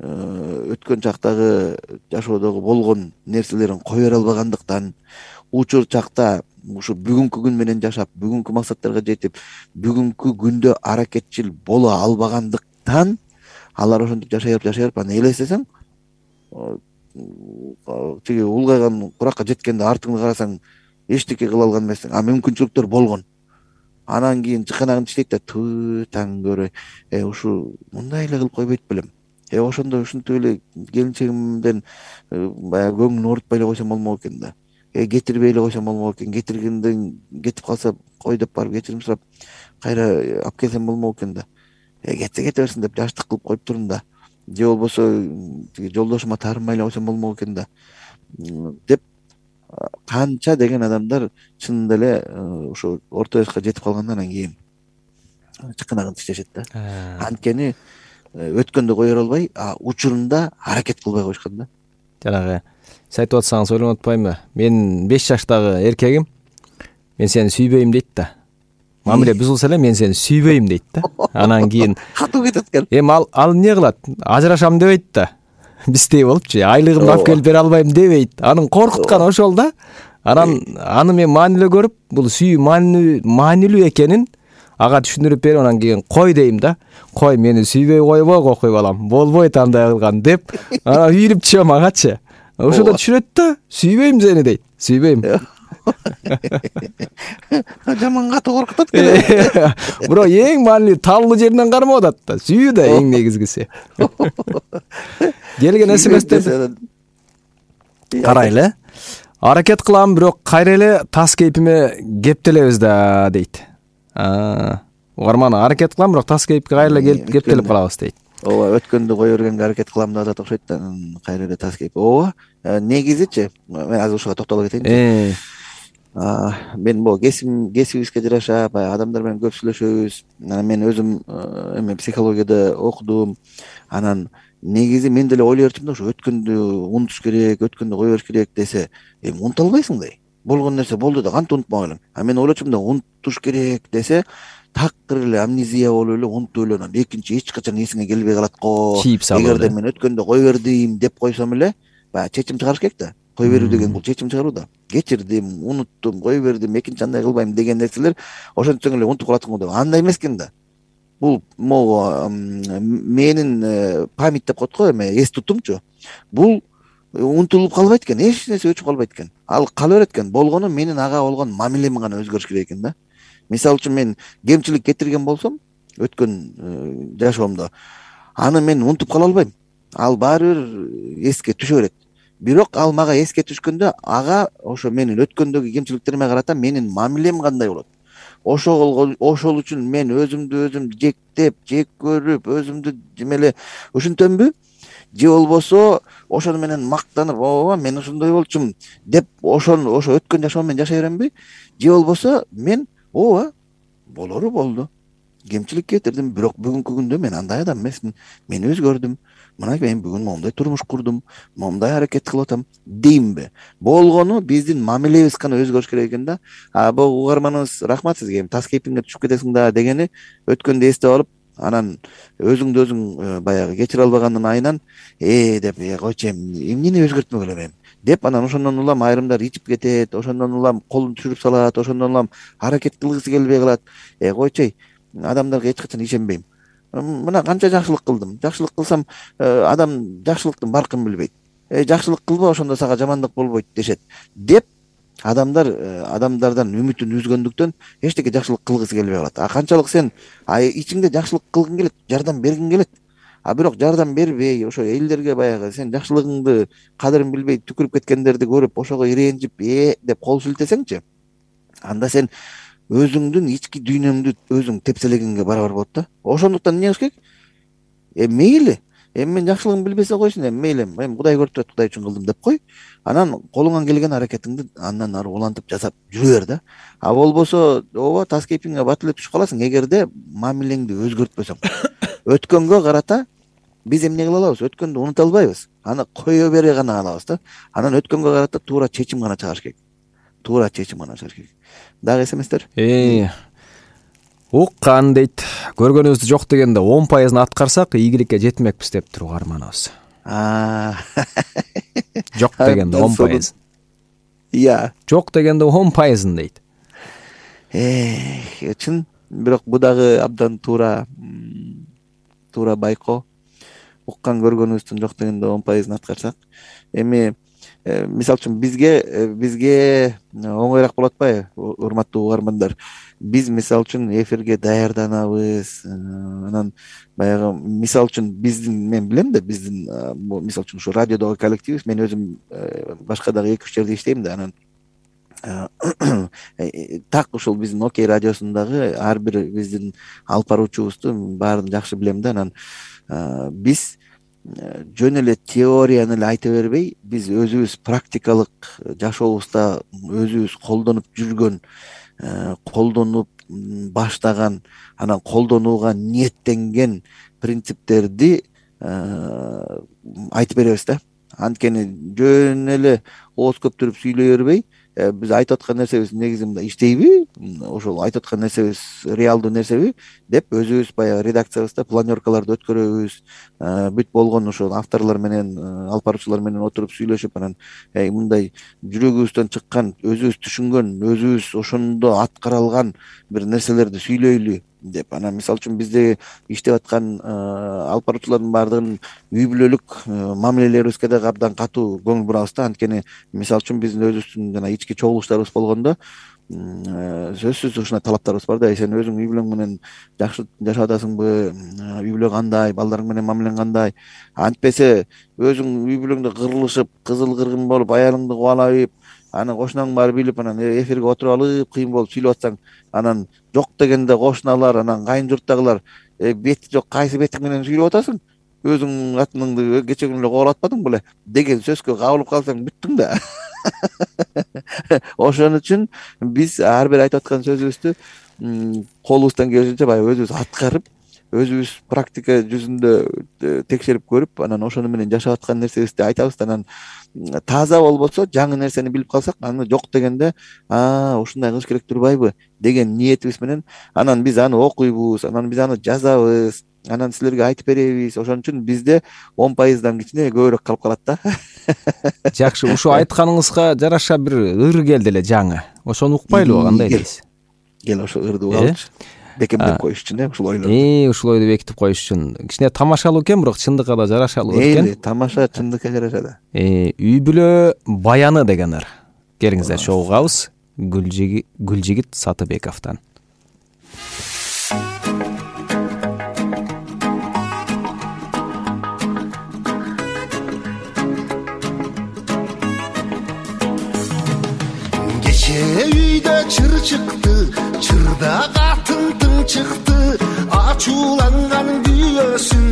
өткөн чактагы жашоодогу болгон нерселерин кое бере албагандыктан, учур чакта ушу бүгүнкү күн менен жашап, бүгүнкү максаттарга жетип, бүгүнкү күндө аракетчил боло албагандыктан алар ошентип жашай берип жашай берип анан элестесең, тиги улгайган куракка жеткенде артыңды карасаң эчтеке кыла алган эмессиң. А мүмкүнчүлүктөр болгон. Анан кийин чыканагын иштейт да, туу таң көрөй, э ушу мындай эле кылып койбойт белем. Э ошондо ушинтип эле келинчегимден баягы көңүлүн оорутпай эле койсом болмок экен да. Э кетирбей эле койсом болмок экен. Кетиргенден кетип калса кой деп барып кечирим сурап кайра алып келсем болмок экен да. Э кетсе кете берсин деп жаштык кылып коюп турдум да. Же болбосо тиги жолдошума таарынбай эле койсом болмок экен да деп канча деген адамдар чынында эле ошо орто жашка жетип калгандан кийин чыканагын иштешет да. Анткени өткөндө кое бере албай, а учурунда аракет кылбай коюшкан да. Жанагы сиз айтып атсаңыз ойлонуп атпаймынбы? Мен беш жаштагы эркегим мен сени сүйбөйм дейт да. Мамиле бузулса эле мен сени сүйбөйм дейт да. Анан кийин катуу кетет экен. Эми ал ал эмне кылат? Ажырашам дебейт да. Биздей болупчу, айлыгымды алып келип бере албайм дебейт. Анын коркутканы ошол да. Анан аны мен маанилүү көрүп, бул сүйүү маанилүү маанилүү экенин ага түшүндүрүп берип, анан кийин кой дейм да. Кой, мени сүйбөй койбо, кокуй балам. Болбойт андай кылган деп, анан үйрүп чыгам агачы. Ошондо түшүнөт да, сүйбөйм сени дейт. Сүйбөйм. Жаман катуу коркутат экен. Бирок эң маанилүү талуу жеринен кармап атат да. Сүйүү да эң негизгиси. Келген смстерди карайлы. Аракет кылам, бирок кайра эле тас кейпиме кептелебиз да дейт. А, угарман аракет кылам, бирок тас кейипке кайра эле келип кептелип калабыз дейт. Ооба, өткөндө кое бергенге аракет кылам деп атат окшойт да, кайра эле тас кейип. Ооба, негизичи мен азыр ушуга токтоло кетейинчи. Мен могу кесибим кесибибизге жараша баягы адамдар менен көп сүйлөшөбүз. Мен өзүм эме психологияда окудум. Анан негизи мен деле ойлой берчүмүн да, ошо өткөндү унутуш керек, өткөндү кое бериш керек десе, эми унута албайсың да. Болгон нерсе болду да, кантип унутмак элең? А мен ойлочумун да, унутуш керек десе, такыр эле амнезия болуп эле унутуп эле анан экинчи эч качан эсиңе келбей калат го. Эгерде мен өткөндө кое бердим деп койсом эле, баягы чечим чыгарыш керек да. кое берүү деген бул чечим чыгаруу да. Кечирдим, унуттум, кое бердим, экинчи андай кылбайм деген нерселер ошентсең эле унутуп калатсың го деп. Андай эмес экен да. Бул могу менин память деп коет го, эме эс тутумчу. Бул унутулуп калбайт экен, эч нерсе өчүп калбайт экен. Ал кала берет экен. Болгону менин ага болгон мамилем гана өзгөрүш керек экен да. Мисалы үчүн мен кемчилик кетирген болсом өткөн жашоомдо, аны мен унутуп кала албайм. Ал баары бир эске түшө берет. Бирок ал мага эске түшкөндө ага ошо менин өткөндөгү кемчиликтериме карата менин мамилем кандай болот. Ошол ошол үчүн мен өзүмдү өзүм жектеп, жек көрүп, өзүмдү жемеле ушинтөмбү? Же болбосо ошону менен мактанып, ооба мен ушундай болчумун деп ошону ошо өткөн жашоом менен жашай беремби? Же болбосо мен ооба болору болду. Кемчилик кетирдим, бирок бүгүнкү күндө мен андай адам эмесмин. Мен өзгөрдүм. Мына мен бүгүн моундай турмуш курдум, моундай аракет кылып атам деймби? Болгону биздин мамилебиз гана өзгөрүш керек экен да. А бул угарманыбыз рахмат сизге, тас кейпиңге түшүп кетесиң да дегени өткөндө эстеп алып, анан өзүңдү өзүң баягы кечире албагандын айынан э деп койчу эми эмнени өзгөртмөгүл эми деп анан ошондон улам айрымдар ичип кетет, ошондон улам колун түшүрүп салат, ошондон улам аракет кылгысы келбей калат. Э койчуй, адамдарга эч качан ишенбейм. Мына канча жакшылык кылдым. Жакшылык кылсам адам жакшылыктын баркын билбейт. Э жакшылык кылба, ошондо сага жамандык болбойт дешет деп адамдар адамдардан үмүтүн үзгөндүктөн эчтеке жакшылык кылгысы келбей калат. А канчалык сен ичиңде жакшылык кылгың келет, жардам бергиң келет. А бирок жардам бербей, ошо элдерге баягы сен жакшылыгыңды кадырын билбей түкүрүп кеткендерди көрүп, ошого ирэнжип, э деп кол силтесеңчи, анда сен өзүңдүн ички дүйнөңдү өзүң тепселегенге барабар болот да. Ошондуктан эмне кылыш керек? Э мейли, эми мен жакшылыгын билбесе койсун, эми мейли, эми Кудай көрүп турат, Кудай үчүн кылдым деп кой. Анан колуңан келген аракетиңди андан ары улантып жасап жүрө бер да. А болбосо ооба тас кейпиңе бат эле түшүп каласың эгерде мамилеңди өзгөртпөсөң. Өткөнгө карата биз эмне кыла алабыз? Өткөндү унута албайбыз. Аны кое бере гана алабыз да. Анан өткөнгө карата туура чечим гана чыгарыш керек. Туура чечим гана чыгарыш керек. Дагы эс эместер? Э уккан дейт. Көргөнүбүздү жок дегенде он пайызын аткарсак игиликке жетмекпиз деп туруп арманыбыз. А жок дегенде он пайыз. Иә. Жок дегенде он пайызын дейт. Э чын, бирок бу дагы абдан туура туура байкоо. Уккан көргөнүбүздүн жок дегенде он пайызын аткарсак, эми мисалы үчүн бизге бизге оңойраак болот атпайбы, урматтуу угармандар? Биз мисалы үчүн эфирге даярданабыз. Анан баягы мисалы үчүн биздин, мен билем да, биздин мисалы үчүн ушу радиодогу коллективибиз, мен өзүм башка дагы эки үч жерде иштейм да, анан так ушул биздин Окей радиосундагы ар бир биздин алып баруучубузду баарын жакшы билем да. Анан биз жөн эле теорияны эле айта бербей, биз өзүбүз практикалык жашообузда өзүбүз колдонуп жүргөн, колдонуп баштаган, анан колдонууга ниеттенген принциптерди айтып беребиз да. Анткени жөн эле ооз көптүрүп сүйлөй бербей, биз айтып аткан нерсебиз негизи мындай иштейби, ошол айтып аткан нерсебиз реалдуу нерсеби деп өзүбүз баягы редакциябызда планёркаларды өткөрөбүз. Бүт болгон ошол авторлор менен, алып баруучулар менен отуруп сүйлөшүп, анан мындай жүрөгүбүздөн чыккан, өзүбүз түшүнгөн, өзүбүз ошондо аткара алган бир нерселерди сүйлөйлү деп. Анан мисалы үчүн бизде иштеп аткан алып баруучулардын баардыгын үй бүлөлүк мамилелерибизге дагы абдан катуу көңүл бурабыз да. Анткени мисалы үчүн биздин өзүбүздүн жана ички чогулуштарыбыз болгондо сөзсүз ушундай талаптарыбыз бар да. Сен өзүң үй бүлөң менен жакшы жашап атасыңбы, үй бүлө кандай, балдарың менен мамилең кандай? Антпесе өзүң үй бүлөңдө кырылышып, кызыл кыргын болуп, аялыңды кубалайып, аны кошунаң баары билип, анан эфирге отуруп алып кыйын болуп сүйлөп атсаң, анан жок дегенде кошуналар, анан кайын журттагылар бети жок, кайсы бетиң менен сүйлөп атасың? Өзүң катыныңды кече күнү эле кубалап атпадың беле деген сөзгө кабылып калсаң бүттүң да. Ошон үчүн биз ар бир айтып аткан сөзүбүздү колубуздан келишинче баягы өзүбүз аткарып, өзүбүз практика жүзүндө текшерип көрүп, анан ошону менен жашап аткан нерсебизди айтабыз. Анан таза болбосо, жаңы нерсени билип калсак, аны жок дегенде, а ушундай кылыш керек турбайбы деген ниетибиз менен анан биз аны окуйбуз, анан биз аны жазабыз. анан силерге айтып беребиз. Ошон үчүн бизде он пайыздан кичине көбүрөөк калып калат да. Жакшы, ушу айтканыңызга жараша бир ыр келди эле жаңы. Ошону укпайлыбы, кандай дейсиз? Кел ошо ырды угалычы. Бекемдеп коюш үчүн э ушул ойлорду. Э, ушул ойду бекитип коюш үчүн кичине тамашалуу экен, бирок чындыкка да жарашалуу экен. Э, тамаша, чындыкка жарашат. Э, үй бүлө баяны деген ыр. Келиңиздер чогугабыз. Гүлжигит Гүлжигит Сатыбековдон. Үйдө чыр чыкты, чырда катын тың чыкты, ачууланган күйөөсүн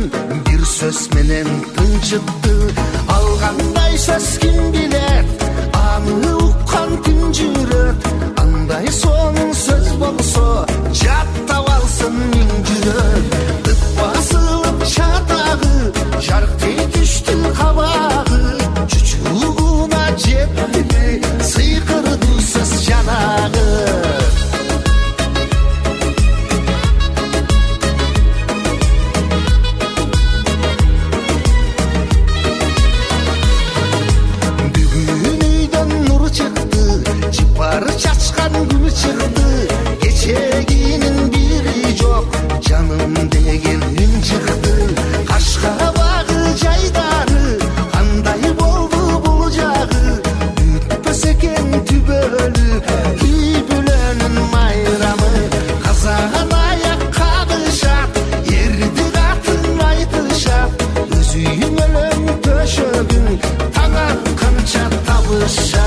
бир сөз менен тынчытты. Алгандай сөз ким билет, аны уккан күн жүрөт, андай сонун сөз болсо жаттап алсын миң жүрөк. Тып басылып чатагы, жарктей түштү кабагы, чучугуна жетти сыйкырды сөз жанагы. Бүгүн үйдөн нур чыкты, жыпар чачкан күн чыкты, кечегинин бири жок, жаным деген үн чыкты. Кашкабагы жайдары кандай болду бул жагы, бүтпөс экен түбөлү үй бүлөнүн майрамы. Казан аяк кагышат, эрди катын айтышат, өз үйүң өлөң төшөгүң таң атканча табышат.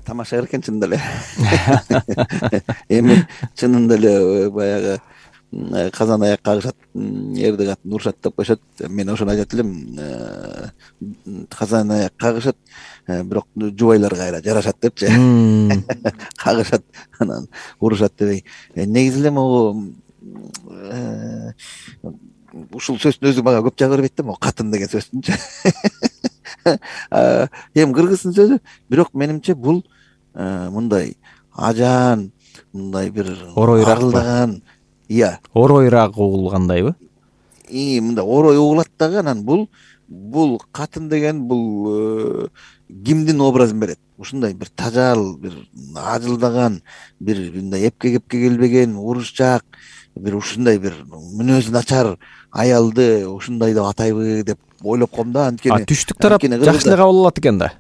Тамаша экен чынында эле. Эми чынында эле баягы казан аяк кагышат, эрди катын урушат деп коюшат. Мен ошону айтат элем. Казан аяк кагышат, бирок жубайлар кайра жарашат депчи. Кагышат, анан урушат дебей. Негизи эле могу ушул сөздүн өзү мага көп жагып бербейт да, могу катын деген сөздүнчү. Эми кыргыздын сөзү, бирок менимче бул мындай ажаан, мындай бир оройрак, iya, оройрак угулгандайбы? И мындай орой угулат дагы, анан бул бул катын деген бул кимдин образын берет. Ушундай бир тажал, бир ажылдаган, бир мындай эпке кепке келбеген, урушчак, бир ушундай бир мүнөзү начар аялды ушундай деп атайбы деп ойлоп коем да. Анткени түштүк тарап жакшы эле кабыл алат экен да.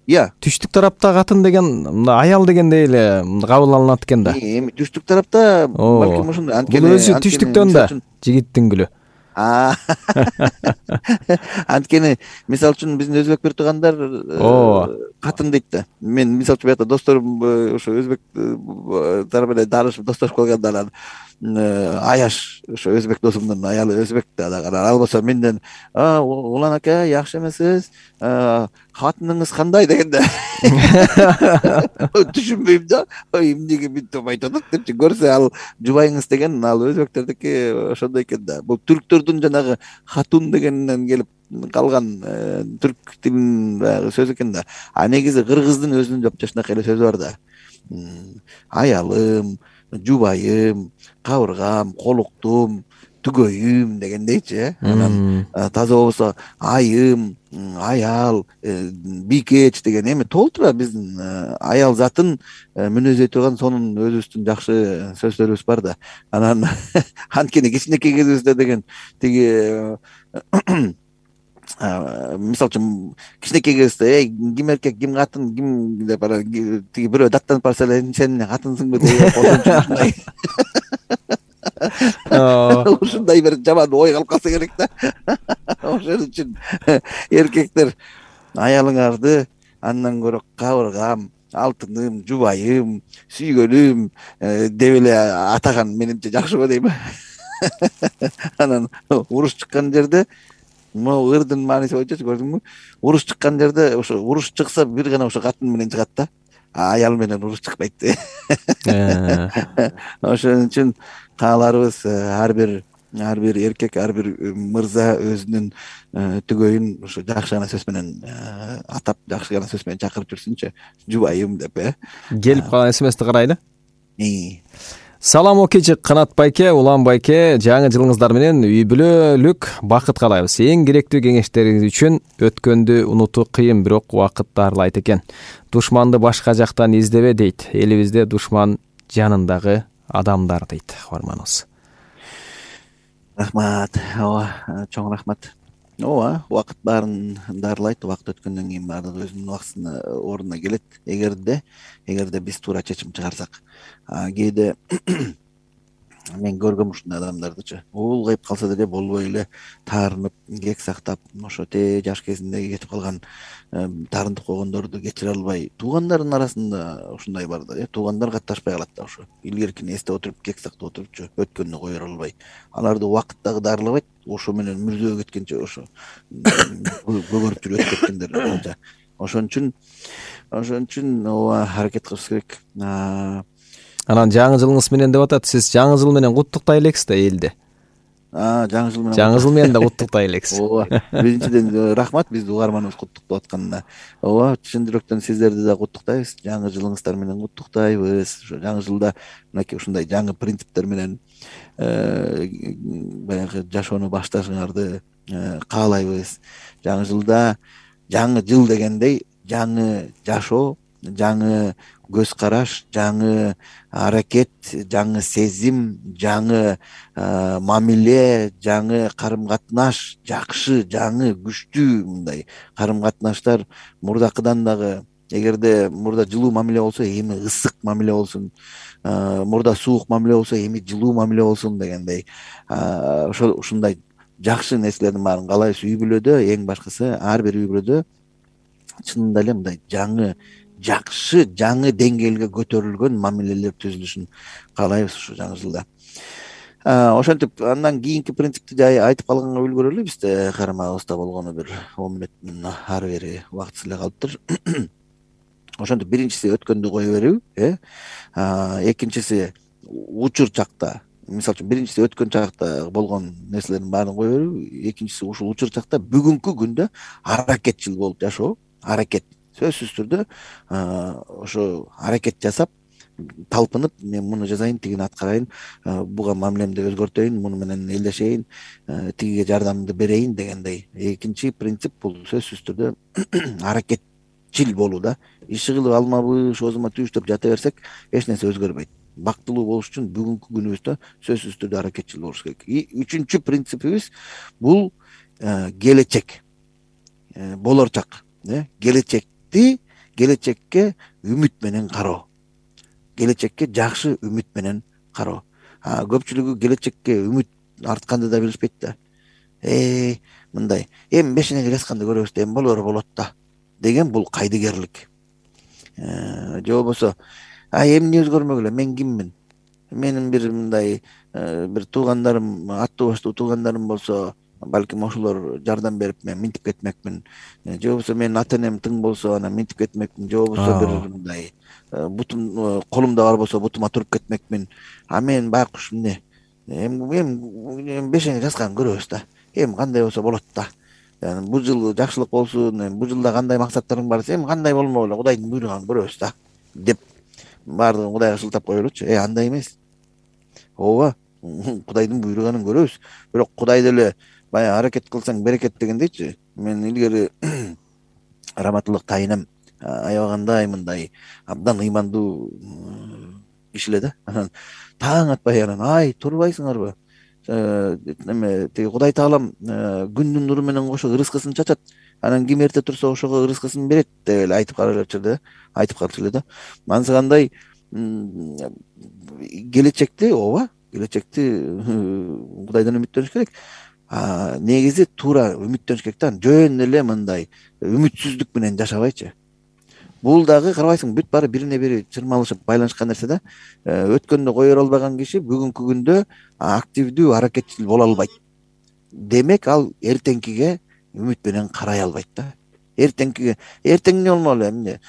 Иә. Түштүк тарапта катын деген аял дегендей эле кабыл алынат экен да. Эми түштүк тарапта балким ушундай. Анткени бул өзү түштүктөн да жигиттин гүлү. Анткени мисалы үчүн биздин өзбек бир туугандар катын дейт да. Мен мисалы үчүн биякта досторум ошо өзбек тарап менен таанышып достошуп калганда анан Аяш, ошо өзбек досумдун аялы өзбек да, ал болсо менден улан ака жакшы эмессиз, катыныңыз кандай дегенде түшүнбөйм да, эмнеге мынтип айтып атат депчи. Көрсө ал жубайыңыз деген, ал өзбектердики ошондой экен да. Бул түрктөрдүн жанагы хатун дегенинен келип калган түрк тилинин баягы сөзү экен да. А негизи кыргыздын өзүнүн жапжашнакай эле сөзү бар да. Аялым, жубайым, кабыргам, колуктум, түгөйүм дегендейчи э анан таза болбосо айым, аял, бийкеч деген эми толтура биздин аял затын мүнөздөй турган сонун өзүбүздүн жакшы сөздөрүбүз бар да. Анан анткени кичинекей кезибизде деген тиги мисалы үчүн кичинекей кезибизде эй ким эркек ким катын ким деп анан тиги бирөө даттанып барса эле сен эмне катынсыңбы деп ошончун ушундай бир жаман ой калып калса керек да. Ошон үчүн эркектер аялыңарды андан көрө кабыргам, алтыным, жубайым, сүйгөнүм деп эле атаган менимче жакшы го дейм. Анан уруш чыккан жерде могу ырдын мааниси боюнча көрдүңбү? Уруш чыккан жерде ошо уруш чыкса бир гана ошо катын менен чыгат да. Аял менен уруш чыкпайт. Ошон үчүн кааларыбыз ар бир ар бир эркек, ар бир мырза өзүнүн түгөйүн ушу жакшы гана сөз менен атап, жакшы гана сөз менен чакырып жүрсүнчү. Жубайым деп э. Келип калган смсти карайлы. Салам окечи Канат байке, Улан байке, жаңы жылыңыздар менен үй бүлөлүк бакыт каалайбыз. Эң керектүү кеңештериңиз үчүн өткөндү унутуу кыйын, бирок убакыт дарылайт экен. Душманды башка жактан издебе дейт. Элибизде душман жанындагы адамдар дейт угарманыбыз. Рахмат. Ооба, чоң рахмат. Ооба, убакыт баарын дарылайт. Убакыт өткөндөн кийин баардыгы өзүнүн убактысына ордуна келет. Эгерде эгерде биз туура чечим чыгарсак. Кээде мен көргөм ушундай адамдардычы. Улгайып калса деле болбой эле таарынып, кек сактап, ошо те жаш кезинде кетип калган таарынтып койгондорду кечире албай, туугандардын арасында ушундай бар да, э, туугандар катташпай калат да ошо. Илгеркини эстеп отуруп, кек сактап отурупчу, өткөндү кое албай. Аларды убакыт дагы дарылабайт. Ошо менен мүрзөгө кеткенче ошо көгөрүп жүрүп өтүп кеткендер. Ошон үчүн ошон үчүн ооба аракет кылыш керек. Анан жаңы жылыңыз менен деп атат. Сиз жаңы жыл менен куттуктай элексиз да элди. А, жаңы жыл менен. Жаңы жыл менен да куттуктай элексиз. Ооба. Биринчиден рахмат биздин угарманыбыз куттуктап атканына. Ооба, чын жүрөктөн сиздерди да куттуктайбыз. Жаңы жылыңыздар менен куттуктайбыз. Ошо жаңы жылда мынакей ушундай жаңы принциптер менен баягы жашоону башташыңарды каалайбыз. Жаңы жылда жаңы жыл дегендей жаңы жашоо, жаңы көз караш, жаңы аракет, жаңы сезим, жаңы мамиле, жаңы карым катнаш, жакшы, жаңы, күчтүү мындай карым катнаштар мурдакыдан дагы. Эгерде мурда жылуу мамиле болсо, эми ысык мамиле болсун. Мурда суук мамиле болсо, эми жылуу мамиле болсун дегендей. Ошо ушундай жакшы нерселердин баарын каалайбыз. Үй бүлөдө эң башкысы ар бир үй бүлөдө чынында эле мындай жаңы жакшы, жаңы деңгээлге көтөрүлгөн мамилелер түзүлүшүн каалайбыз ушу жаңы жылда. Ошентип андан кийинки принципти айтып калганга үлгүрөлү. Бизде карамагыбызда болгону бир он мүнөттүн ары бери убактысы эле калыптыр. Ошентип биринчиси өткөндү кое берүү, э? Экинчиси учур чакта, мисалы үчүн биринчиси өткөн чакта болгон нерселердин баарын кое берүү, экинчиси ушул учур чакта бүгүнкү күндө аракетчил болуп жашоо, аракет. Сөзсүз түрдө ошо аракет жасап, талпынып, мен муну жасайын, тигини аткарайын, буга мамилемди өзгөртөйүн, муну менен элдешейин, тигиге жардамымды берейин дегендей. Экинчи принцип бул сөзсүз түрдө аракетчил болуу да. Иши кылып алмабы, шозума түштөп жата берсек, эч нерсе өзгөрбөйт. Бактылуу болуш үчүн бүгүнкү күнүбүздө сөзсүз түрдө аракетчил болуш керек. Үчүнчү принципибиз бул келечек, болорчак, келечекти, келечекке үмүт менен кароо. Келечекке жакшы үмүт менен кароо. Көпчүлүгү келечекке үмүт артканды да билишпейт да. Э, мындай, эми бешинеге жазганда көрөбүз да, эми болор болот да деген бул кайдыгерлик. Же болбосо, а эмне өзгөрмөк эле, мен киммин? Менин бир мындай бир туугандарым, аттуу баштуу туугандарым болсо, балким ошолор жардам берип мен минтип кетмекмин. Же болбосо менин ата энем тың болсо, анан минтип кетмекмин. Же болбосо бир мындай бутум колумда бар болсо бутума туруп кетмекмин. А мен байкуш эмне? Эми бешене жазган көрөбүз да. Эми кандай болсо болот да. Бул жыл жакшылык болсун, бул жылда кандай максаттарың бар, эми кандай болмок эле, Кудайдын буйруган көрөбүз да деп баардыгын Кудайга шылтап коелучу. Э, андай эмес. Ооба, Кудайдын буйруганын көрөбүз. Бирок Кудай деле баягы аракет кылсаң берекет дегендейчи. Мен илгери раматылык тайынам аябагандай мындай абдан ыймандуу киши эле да. Анан таң атпай анан ай турбайсыңарбы? Эме тиги Кудай Таалам күндүн нуру менен кошо ырыскысын чачат. Анан ким эрте турса ошого ырыскысын берет деп эле айтып каралчу да. Айтып калчу эле да. Анысы кандай келечекти ооба, келечекти Кудайдан үмүттөнүш керек. Негизи туура үмүттөнүш керек да. Жөн эле мындай үмүтсүздүк менен жашабайчы. Бул дагы карабайсың бүт баары бирине бири чырмалышып байланышкан нерсе да. Өткөндө койор албаган киши бүгүнкү күндө активдүү аракетчил боло албайт. Демек ал эртеңкиге үмүт менен карай албайт да. Эртеңкиге эртең эмне болмок эле эмне?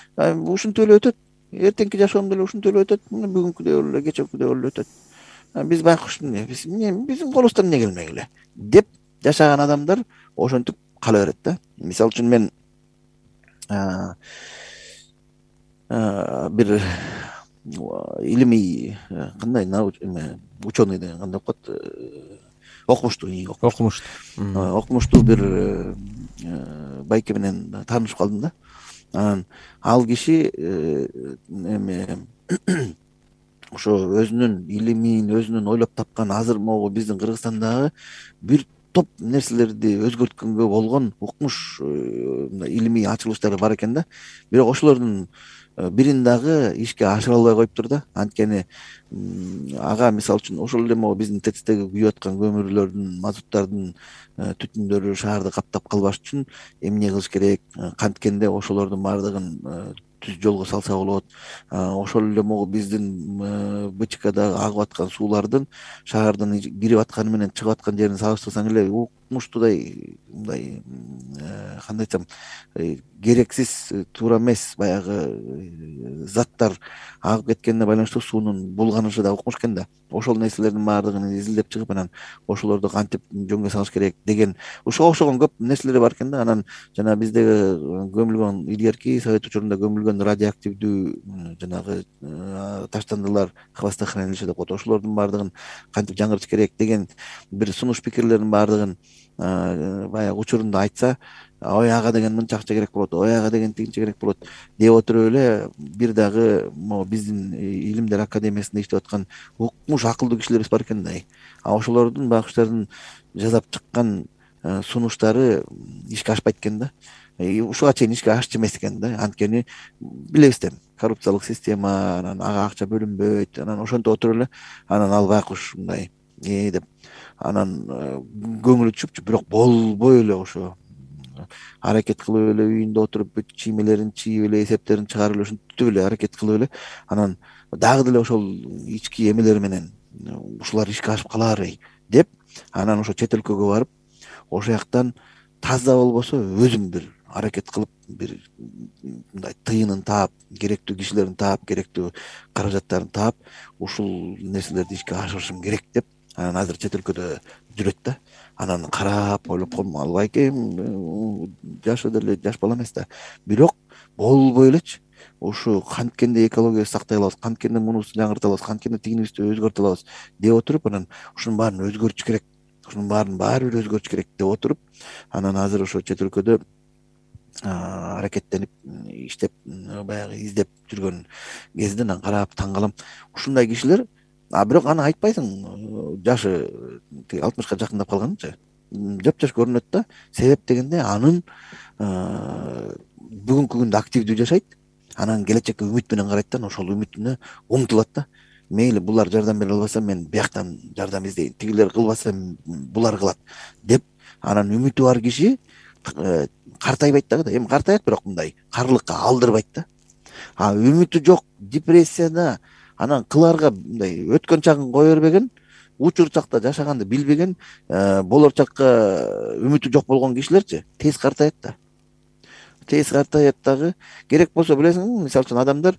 Ушинтип эле өтөт. Эртеңки жашоом деле ушинтип эле өтөт. Бүгүнкүдөй эле, кечээкүдөй эле өтөт. Биз байкуш эмне? Биз эмне? Биздин колубуздан эмне келмек эле деп жашаган адамдар ошентип кала берет да. Мисалы үчүн мен бир илимий кандай эме ученый деген кандай окуп калат, окумуштуу окумуштуу окумуштуу бир байке менен таанышып калдым да. Анан ал киши эме ошо өзүнүн илимин, өзүнүн ойлоп тапкан азыр могу биздин Кыргызстандагы бир топ нерселерди өзгөрткөнгө болгон укмуш илимий ачылыштары бар экен да. Бирок ошолордун бирин дагы ишке ашыра албай коюптур да. Анткени ага мисалы үчүн ошол эле могу биздин ТЭЦтеги күйүп аткан көмүрлөрдүн, мазуттардын түтүндөрү шаарды каптап калбаш үчүн эмне кылыш керек? Канткенде ошолордун баардыгын түз жолго салса болот. Ошол эле могу биздин БЧКдагы агып аткан суулардын шаардан кирип атканы менен чыгып аткан жерин салыштырсаң эле укмуштуудай мындай кандай айтсам керексиз, туура эмес баягы заттар агып кеткенине байланыштуу суунун булганышы да укмуш экен да. Ошол нерселердин баардыгын изилдеп чыгып анан ошолорду кантип жөнгө салыш керек деген ошого окшогон көп нерселер бар экен да. Анан жана биздеги көмүлгөн илгерки совет учурунда көмүлгөн радиоактивдүү жанагы таштандылар хвостохранилище деп коет. Ошолордун баардыгын кантип жаңыртыш керек деген бир сунуш пикирлердин баардыгын баягы учурунда айтса, ой ага деген мынча акча керек болот, ой ага деген тигинче керек болот деп отуруп эле бир дагы могу биздин илимдер академиясында иштеп аткан укмуш акылдуу кишилерибиз бар экен да. А ошолордун байкуштардын жасап чыккан сунуштары ишке ашпайт экен да. Ушуга чейин ишке ашчу эмес экен да. Анткени билебиз да, коррупциялык система, анан ага акча бөлүнбөйт. Анан ошентип отуруп эле анан ал байкуш мындай э деп анан көңүлү түшүпчү, бирок болбой эле ошо аракет кылып эле үйүндө отуруп бүт чиймелерин чийип эле эсептерин чыгарып эле ушинтип эле аракет кылып эле анан дагы деле ошол ички эмелер менен ушулар ишке ашып кала бербей деп анан ошо чет өлкөгө барып ошол жактан таза болбосо өзүм бир аракет кылып бир мындай тыйынын таап, керектүү кишилерин таап, керектүү каражаттарын таап ушул нерселерди ишке ашырышым керек деп анан азыр чет өлкөдө жүрөт да. Анан карап ойлоп колдум, ал байкем жашы деле жаш бала эмес да. Бирок болбой элечи. Ушу канткенде экологияны сактай алабыз, канткенде мунусун жаңырта алабыз, канткенде тигинибизди өзгөртө алабыз деп отуруп анан ушунун баарын өзгөртүш керек. Ушунун баарын баары бир өзгөртүш керек деп отуруп анан азыр ошо чет өлкөдө аракеттенип иштеп баягы издеп жүргөн кезде анан карап таң калам. Ушундай кишилер, а бирок аны айтпайсың, жашы алтымышка жакындап калганынчы жап-жаш көрүнөт да. Себеп дегенде анын бүгүнкү күндө активдүү жашайт, анан келечекке үмүт менен карайт да, ошол үмүтүнө умтулат да. Мейли булар жардам бере албаса мен бияктан жардам издейин, тигилер кылбаса булар кылат деп анан үмүтү бар киши картайбайт дагы да. Эми картайат, бирок мындай карлыкка алдырбайт да. А үмүтү жок, депрессияда анан кыларга мындай өткөн чагын кое бербеген, учур чакта жашаганды билбеген, болор чакка үмүтү жок болгон кишилерчи тез картаят да. Тез картаят дагы. Керек болсо билесиңби, мисалы үчүн адамдар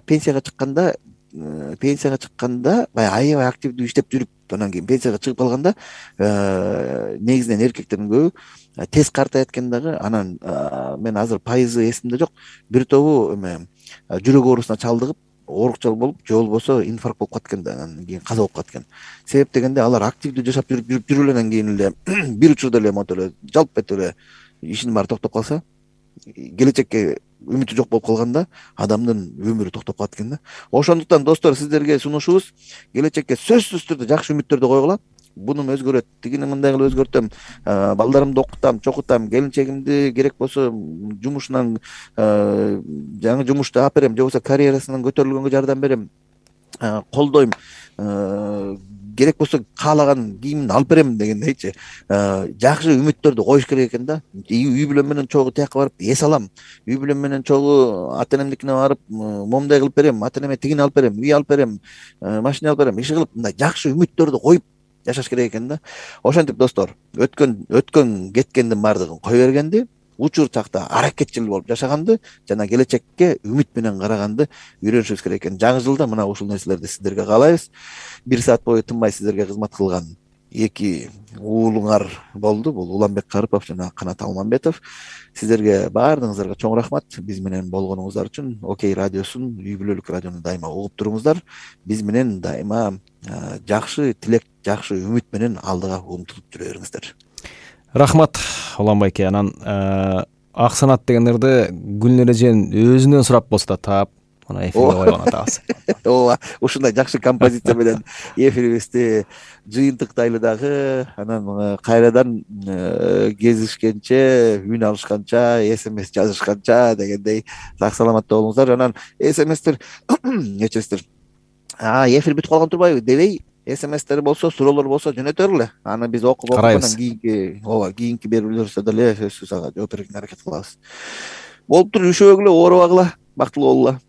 пенсияга чыкканда, пенсияга чыкканда баягы аябай активдүү иштеп жүрүп, анан кийин пенсияга чыгып калганда негизинен эркектердин көбү тез картаят экен дагы. Анан мен азыр пайызы эсимде жок, бир тобу эме жүрөк оорусуна чалдыгып оорукчал болуп же болбосо инфаркт болуп калат экен да, анан кийин каза болуп калат экен. Себеп дегенде алар активдүү жашап жүрүп жүрүп жүрүп эленен кийин эле бир учурда эле монтип эле жалп этип эле ишинин баары токтоп калса, келечекке үмүтү жок болуп калганда адамдын өмүрү токтоп калат экен да. Ошондуктан достор, сиздерге сунушубуз келечекке сөзсүз түрдө жакшы үмүттөрдү койгула. Бунун өзгөрөт, тигини мындай кылып өзгөртөм, балдарымды окутам, чокутам, келинчегимди керек болсо жумушунан жаңы жумушта алып берем, же болбосо карьерасынан көтөрүлгөнгө жардам берем, колдойм, керек болсо каалаган кийимин алып берем дегендейчи жакшы үмүттөрдү коюш керек экен да. Үй бүлөм менен чогуу тияка барып эс алам, үй бүлөм менен чогуу ата энемдикине барып момундай кылып берем, ата энеме тигини алып берем, үй алып берем, машина алып берем, иши кылып мындай жакшы үмүттөрдү коюп жашаш керек экен да. Ошентип достор, өткөн өткөн кеткендин баардыгын кое бергенди, учур чакта аракетчил болуп жашаганды жана келечекке үмүт менен караганды үйрөнүшүбүз керек экен. Жаңы жылда мына ушул нерселерди сиздерге каалайбыз. Бир саат бою тынбай сиздерге кызмат кылган эки уулуңар болду. Бул Уланбек Карыпов жана Канат Алмамбетов. Сиздерге баардыгыңыздарга чоң рахмат биз менен болгонуңуздар үчүн. Окей радиосун, үй бүлөлүк радиону дайыма угуп туруңуздар. Биз менен дайыма жакшы тилек, жакшы үмүт менен алдыга умтулуп жүрө бериңиздер. Рахмат Уланбек. Анан ак санат дегендерди Гүлнөр эжен өзүнөн сурап болсо да таап мына эфирге койгон атабыз. Ооба, ушундай жакшы композиция менен эфирибизди жыйынтыктайлы дагы. Анан кайрадан кезишкенче, үн алышканча, смс жазышканча дегендей сак саламатта болуңуздар. Анан смстер нечесиздер? А, эфир бүтүп калган турбайбы дебей, смстер болсо, суроолор болсо жөнөтөр эле. Аны биз окуп окуп кийинки, ооба, кийинки берүүлөрүбүздө деле сөзсүз ага жооп берүүгө аракет кылабыз. Болуптур, үшөөгүлө, оорубагыла, бактылуу болгула.